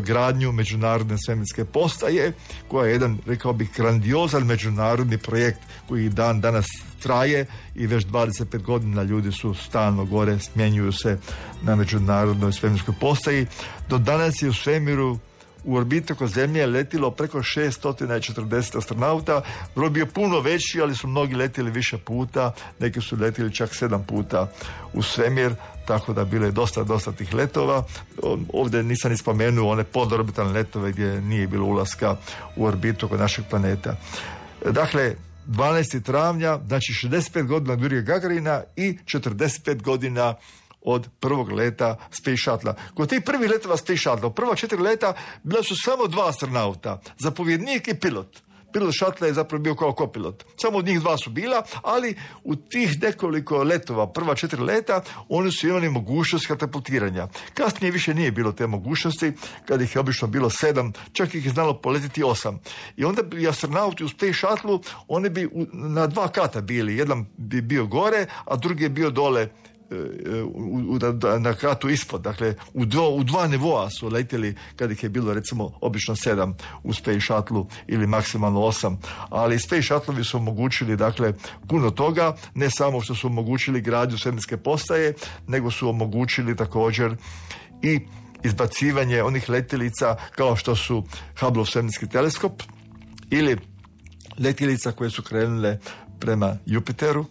gradnju međunarodne svemirske postaje, koja je jedan, rekao bih, grandiozan međunarodni projekt koji dan danas traje i već dvadeset pet godina ljudi su stalno gore, smjenjuju se na međunarodnoj svemirskoj postaji. Do danas je u svemiru u orbitu oko Zemlje letilo preko šesto četrdeset astronauta. Broj bio puno veći, ali su mnogi letili više puta, neki su letili čak sedam puta u svemir, tako da bilo je dosta, dosta tih letova. Ovdje nisam ni spomenuo one podorbitalne letove gdje nije bilo ulaska u orbitu oko našeg planeta. Dakle, dvanaestog travnja, znači šezdeset pet godina od Jurija Gagarina i četrdeset pet godina od prvog leta Space Shuttle. Kod tih prvih letova Space Shuttle, u prva četiri leta bila su samo dva astronauta, zapovjednik i pilot. Pilot Shuttle je zapravo bio kao kopilot. Samo od njih dva su bila, ali u tih nekoliko letova, prva četiri leta, oni su imali mogućnost katapultiranja. Kasnije više nije bilo te mogućnosti, kad ih je obično bilo sedam, čak ih je znalo poletiti osam. I onda bi astronauti u Space Shuttle, oni bi u, na dva kata bili. Jedan bi bio gore, a drugi je bio dole U, u, na, na kratu ispod, dakle u, do, u dva nivoa su letjeli kad ih je bilo recimo obično sedam u Space Shuttle ili maksimalno osam, ali Space Shuttle su omogućili dakle puno toga, ne samo što su omogućili gradnju svemirske postaje, nego su omogućili također i izbacivanje onih letjelica kao što su Hubble svemirski teleskop ili letjelica koje su krenule prema Jupiteru,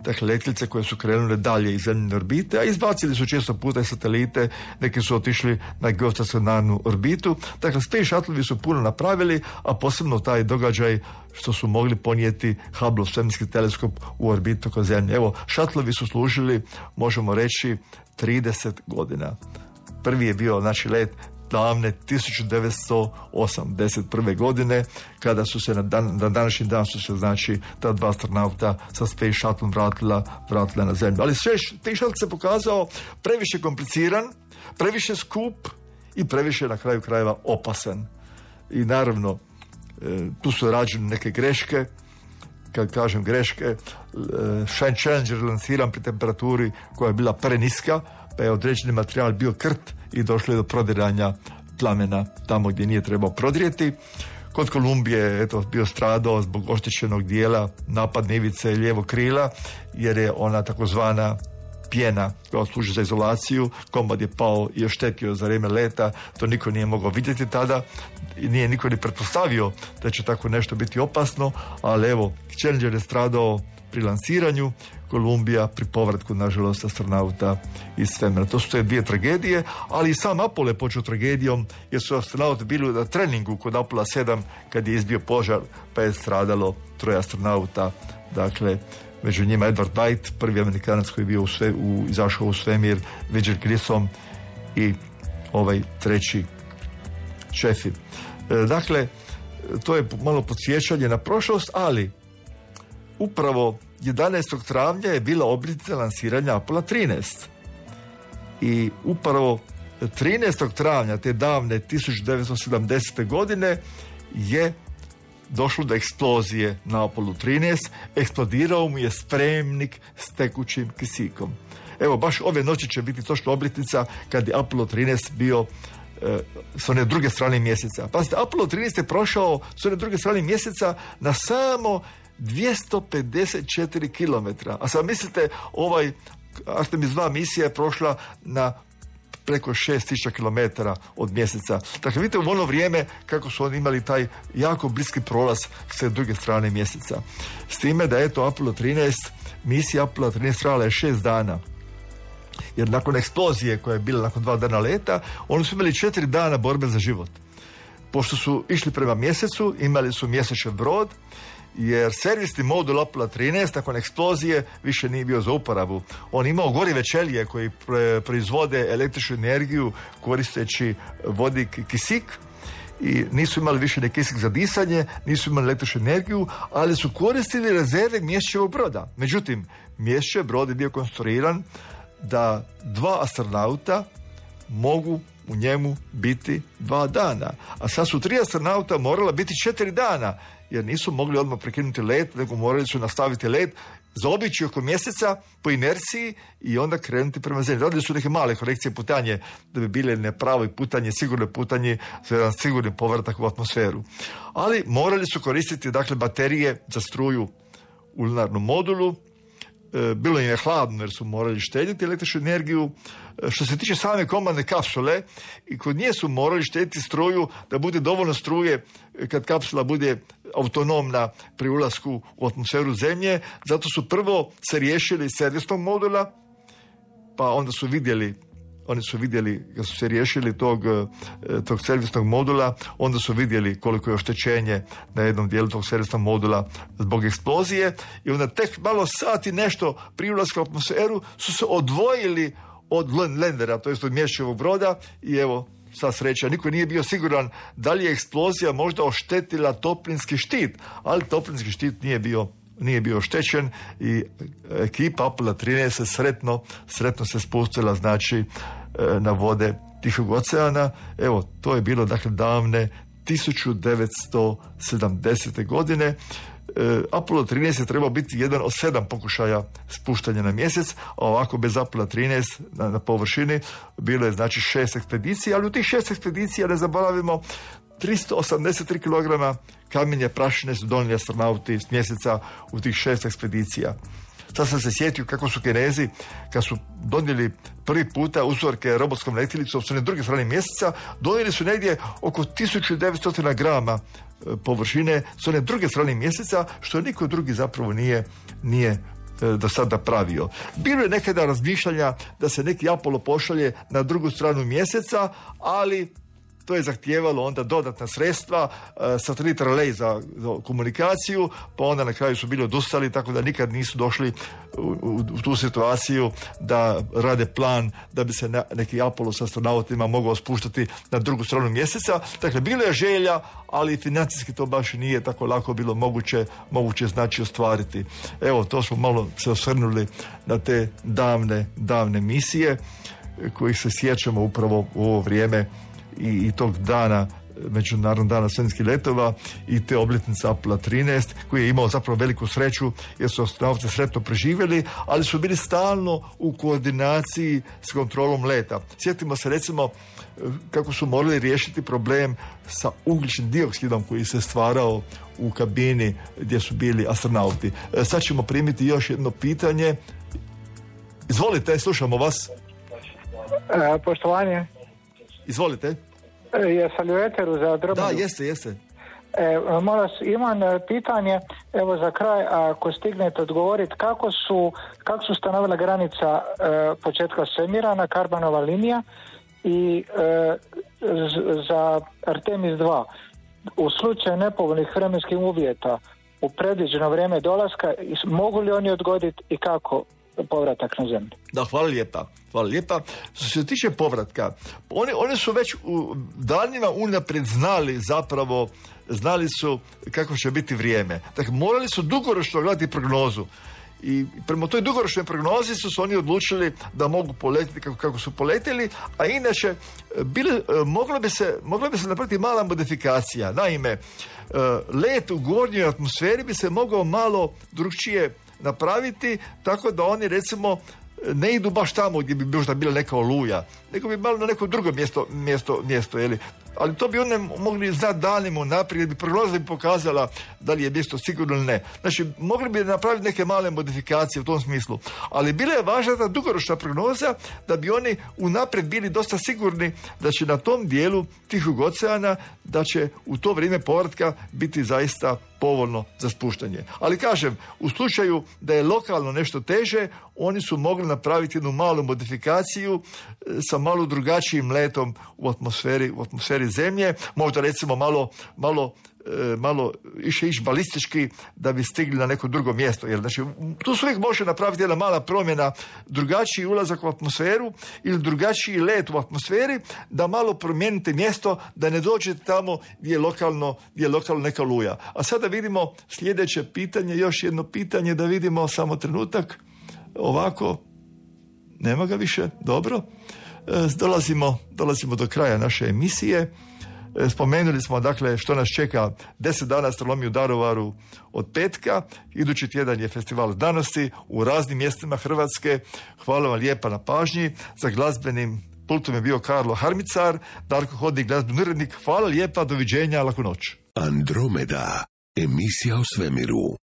dakle letjelice koje su krenule dalje iz zemljine orbite, a izbacili su često puta i satelite, neki su otišli na geostacionarnu orbitu. Dakle, Space Shuttle su puno napravili, a posebno taj događaj što su mogli ponijeti Hubble svemirski teleskop u orbitu oko Zemlje. Evo, Shuttlevi su služili, možemo reći, trideset godina. Prvi je bio, znači, let davne tisuću devetsto osamdeset prve godine, kada su se na, dan, na današnji dan su se, znači, ta dva astronauta sa Space Shuttle vratila, vratila na Zemlju. Ali sve Space Shuttle se pokazao previše kompliciran, previše skup i previše na kraju krajeva opasan. I naravno, tu su rađene neke greške. Kad kažem greške, Challenger lanciran pri temperaturi koja je bila preniska, pa je određeni materijal bio krt i došlo je do prodiranja plamena tamo gdje nije trebao prodrijeti. Kod Kolumbije je eto, bio stradao zbog oštećenog dijela napadne ivice lijevog krila, jer je ona takozvana pjena koja služi za izolaciju, komad je pao i oštetio za vrijeme leta, to niko nije mogao vidjeti tada i nije niko ni pretpostavio da će tako nešto biti opasno, ali evo, Challenger je stradao pri lansiranju, Kolumbija pri povratku, nažalost, astronauta iz svemira. To su te dvije tragedije, ali i sam Apollo je počeo tragedijom, jer su astronauti bili na treningu kod Apollo sedam kad je izbio požar, pa je stradalo troje astronauta, dakle, među njima Edward White, prvi Amerikanac koji je bio u sve, u, izašao u svemir, Roger Grissom i ovaj treći Chaffee. E, dakle, to je malo podsjećanje na prošlost, ali upravo jedanaestog travnja je bila obljetnica lansiranja Apollo trinaest. I upravo trinaestog travnja te davne tisuću devetsto sedamdesete godine je došlo do eksplozije na Apollo trinaest. Eksplodirao mu je spremnik s tekućim kisikom. Evo, baš ove noći će biti točno obljetnica kad je Apollo trinaest bio e, s one druge strane mjeseca. Pazite, Apollo trinaest je prošao s one druge strane mjeseca na samo dvjesto pedeset četiri kilometra. A sad mislite, ovaj Artemis dva misija je prošla na preko šest tisuća kilometara od mjeseca. Dakle, vidite u ono vrijeme kako su oni imali taj jako bliski prolaz s druge strane mjeseca. S time da eto Apollo trinaest, misija Apollo trinaest trajala je šest dana. Jer nakon eksplozije koja je bila nakon dva dana leta, oni su imali četiri dana borbe za život. Pošto su išli prema mjesecu, imali su mjesečni brod, jer servisni modul Apollo trinaest nakon eksplozije više nije bio za uporabu. On imao gorive ćelije koji proizvode električnu energiju koristeći vodik i kisik i nisu imali više ni kisik za disanje, nisu imali električnu energiju, ali su koristili rezerve mjesečevog broda. Međutim, mjesečev brod je bio konstruiran da dva astronauta mogu u njemu biti dva dana. A sad su tri astronauta morala biti četiri dana, jer nisu mogli odmah prekinuti let, nego morali su nastaviti let, zaobići oko mjeseca po inerciji i onda krenuti prema zemlji. Radili su neke male korekcije putanje, da bi bile nepravo putanje, sigurno putanje, za jedan sigurni povratak u atmosferu. Ali morali su koristiti, dakle, baterije za struju u lunarnom modulu. Bilo im je hladno jer su morali štediti električnu energiju. Što se tiče same komandne kapsule, i kod nje su morali štediti struju da bude dovoljno struje kad kapsula bude autonomna pri ulasku u atmosferu Zemlje. Zato su prvo se riješili servisnog modula, pa onda su vidjeli Oni su vidjeli, kad su se riješili tog, tog servisnog modula, onda su vidjeli koliko je oštećenje na jednom dijelu tog servisnog modula zbog eksplozije i onda tek malo sati nešto prije ulaska u atmosferu su se odvojili od landera, to jest od mjesečevog broda i evo, sva sreća, niko nije bio siguran da li je eksplozija možda oštetila toplinski štit, ali toplinski štit nije bio nije bio oštećen i ekipa Apollo trinaest se sretno, sretno se spustila, znači, na vode Tihog oceana. Evo, to je bilo, dakle, davne tisuću devetsto sedamdesete godine. Apollo trinaest je trebao biti jedan od sedam pokušaja spuštanja na mjesec, a ovako bez Apollo trinaest na, na površini bilo je, znači, šest ekspedicija, ali u tih šest ekspedicija, ne zaboravimo, tristo osamdeset tri kilograma kamenje prašine su donijeli astronauti s mjeseca u tih šest ekspedicija. Sad sam se sjetio kako su Kinezi, kad su donijeli prvi puta uzorke robotskom letjelicom s one druge strane mjeseca, donijeli su negdje oko tisuću devetsto grama površine s one druge strane mjeseca, što niko drugi zapravo nije, nije do sada pravio. Bilo je nekada razmišljanja da se neki Apollo pošalje na drugu stranu mjeseca, ali to je zahtijevalo onda dodatna sredstva, satelit relay za, za komunikaciju, pa onda na kraju su bili odustali, tako da nikad nisu došli u, u, u tu situaciju da rade plan da bi se na, neki Apollo s astronautima mogao spuštati na drugu stranu mjeseca. Dakle, bilo je želja, ali financijski to baš nije tako lako bilo moguće, moguće znači ostvariti. Evo, to smo malo se osvrnuli na te davne, davne misije kojih se sjećamo upravo u ovo vrijeme i, i tog dana, Međunarodnog dana svemirskih letova i te obljetnice Apollo trinaest, koji je imao zapravo veliku sreću jer su astronauti sretno preživjeli, ali su bili stalno u koordinaciji s kontrolom leta. Sjetimo se recimo kako su morali riješiti problem sa ugljičnim dioksidom koji se stvarao u kabini gdje su bili astronauti. Sad ćemo primiti još jedno pitanje. Izvolite, slušamo vas. E, poštovanje. Izvolite. E, jesam li u eteru za Dromedu? Da, jeste, jeste. E, molim, imam pitanje, evo za kraj, ako stignete odgovoriti, kako su, kako su stanovila granica e, početka svemira na Karmanova linija i e, z, za Artemis dva, u slučaju nepovoljnih vremenskih uvjeta u predviđeno vrijeme dolaska, mogu li oni odgoditi i kako povratak na zemlju? Da, hvala lijepa. Hvala lijepa. Što se tiče povratka, oni, oni su već u danima unaprijed znali zapravo, znali su kako će biti vrijeme. Dakle, morali su dugoročno gledati prognozu. I prema toj dugoročnoj prognozi su se oni odlučili da mogu poletiti kako, kako su poletili, a inače bile, moglo bi se, mogla bi se napraviti mala modifikacija. Naime, let u gornjoj atmosferi bi se mogao malo drukčije napraviti, tako da oni recimo ne idu baš tamo gdje bi možda bila neka oluja, nego bi malo na neko drugo mjesto, mjesto, mjesto jeli. Ali to bi one mogli znati danima unaprijed, bi prognoza bi pokazala da li je mjesto sigurno ili ne. Znači, mogli bi napraviti neke male modifikacije u tom smislu. Ali bila je važna ta dugoročna prognoza da bi oni unaprijed bili dosta sigurni da će na tom dijelu Tihog oceana, da će u to vrijeme povratka biti zaista povoljno za spuštanje. Ali kažem, u slučaju da je lokalno nešto teže, oni su mogli napraviti jednu malu modifikaciju e, sa malo drugačijim letom u atmosferi, u atmosferi zemlje, možda recimo malo, malo e, malo više ići balistički da bi stigli na neko drugo mjesto. Jer, znači, tu se uvijek može napraviti jedna mala promjena, drugačiji ulazak u atmosferu ili drugačiji let u atmosferi, da malo promijenite mjesto, da ne dođete tamo gdje je lokalno, gdje je lokalno neka luja. A sada vidimo sljedeće pitanje, još jedno pitanje, da vidimo samo trenutak. Ovako, nema ga više, dobro. E, dolazimo, dolazimo do kraja naše emisije. E, spomenuli smo, dakle, što nas čeka deset dana astronomije u Daruvaru od petka. Idući tjedan je festival znanosti u raznim mjestima Hrvatske. Hvala vam lijepa na pažnji. Za glazbenim pultom je bio Karlo Harmicar, Darko Hodnik, glazbeni urednik. Hvala lijepa, doviđenja, laku noć. Andromeda, emisija o svemiru.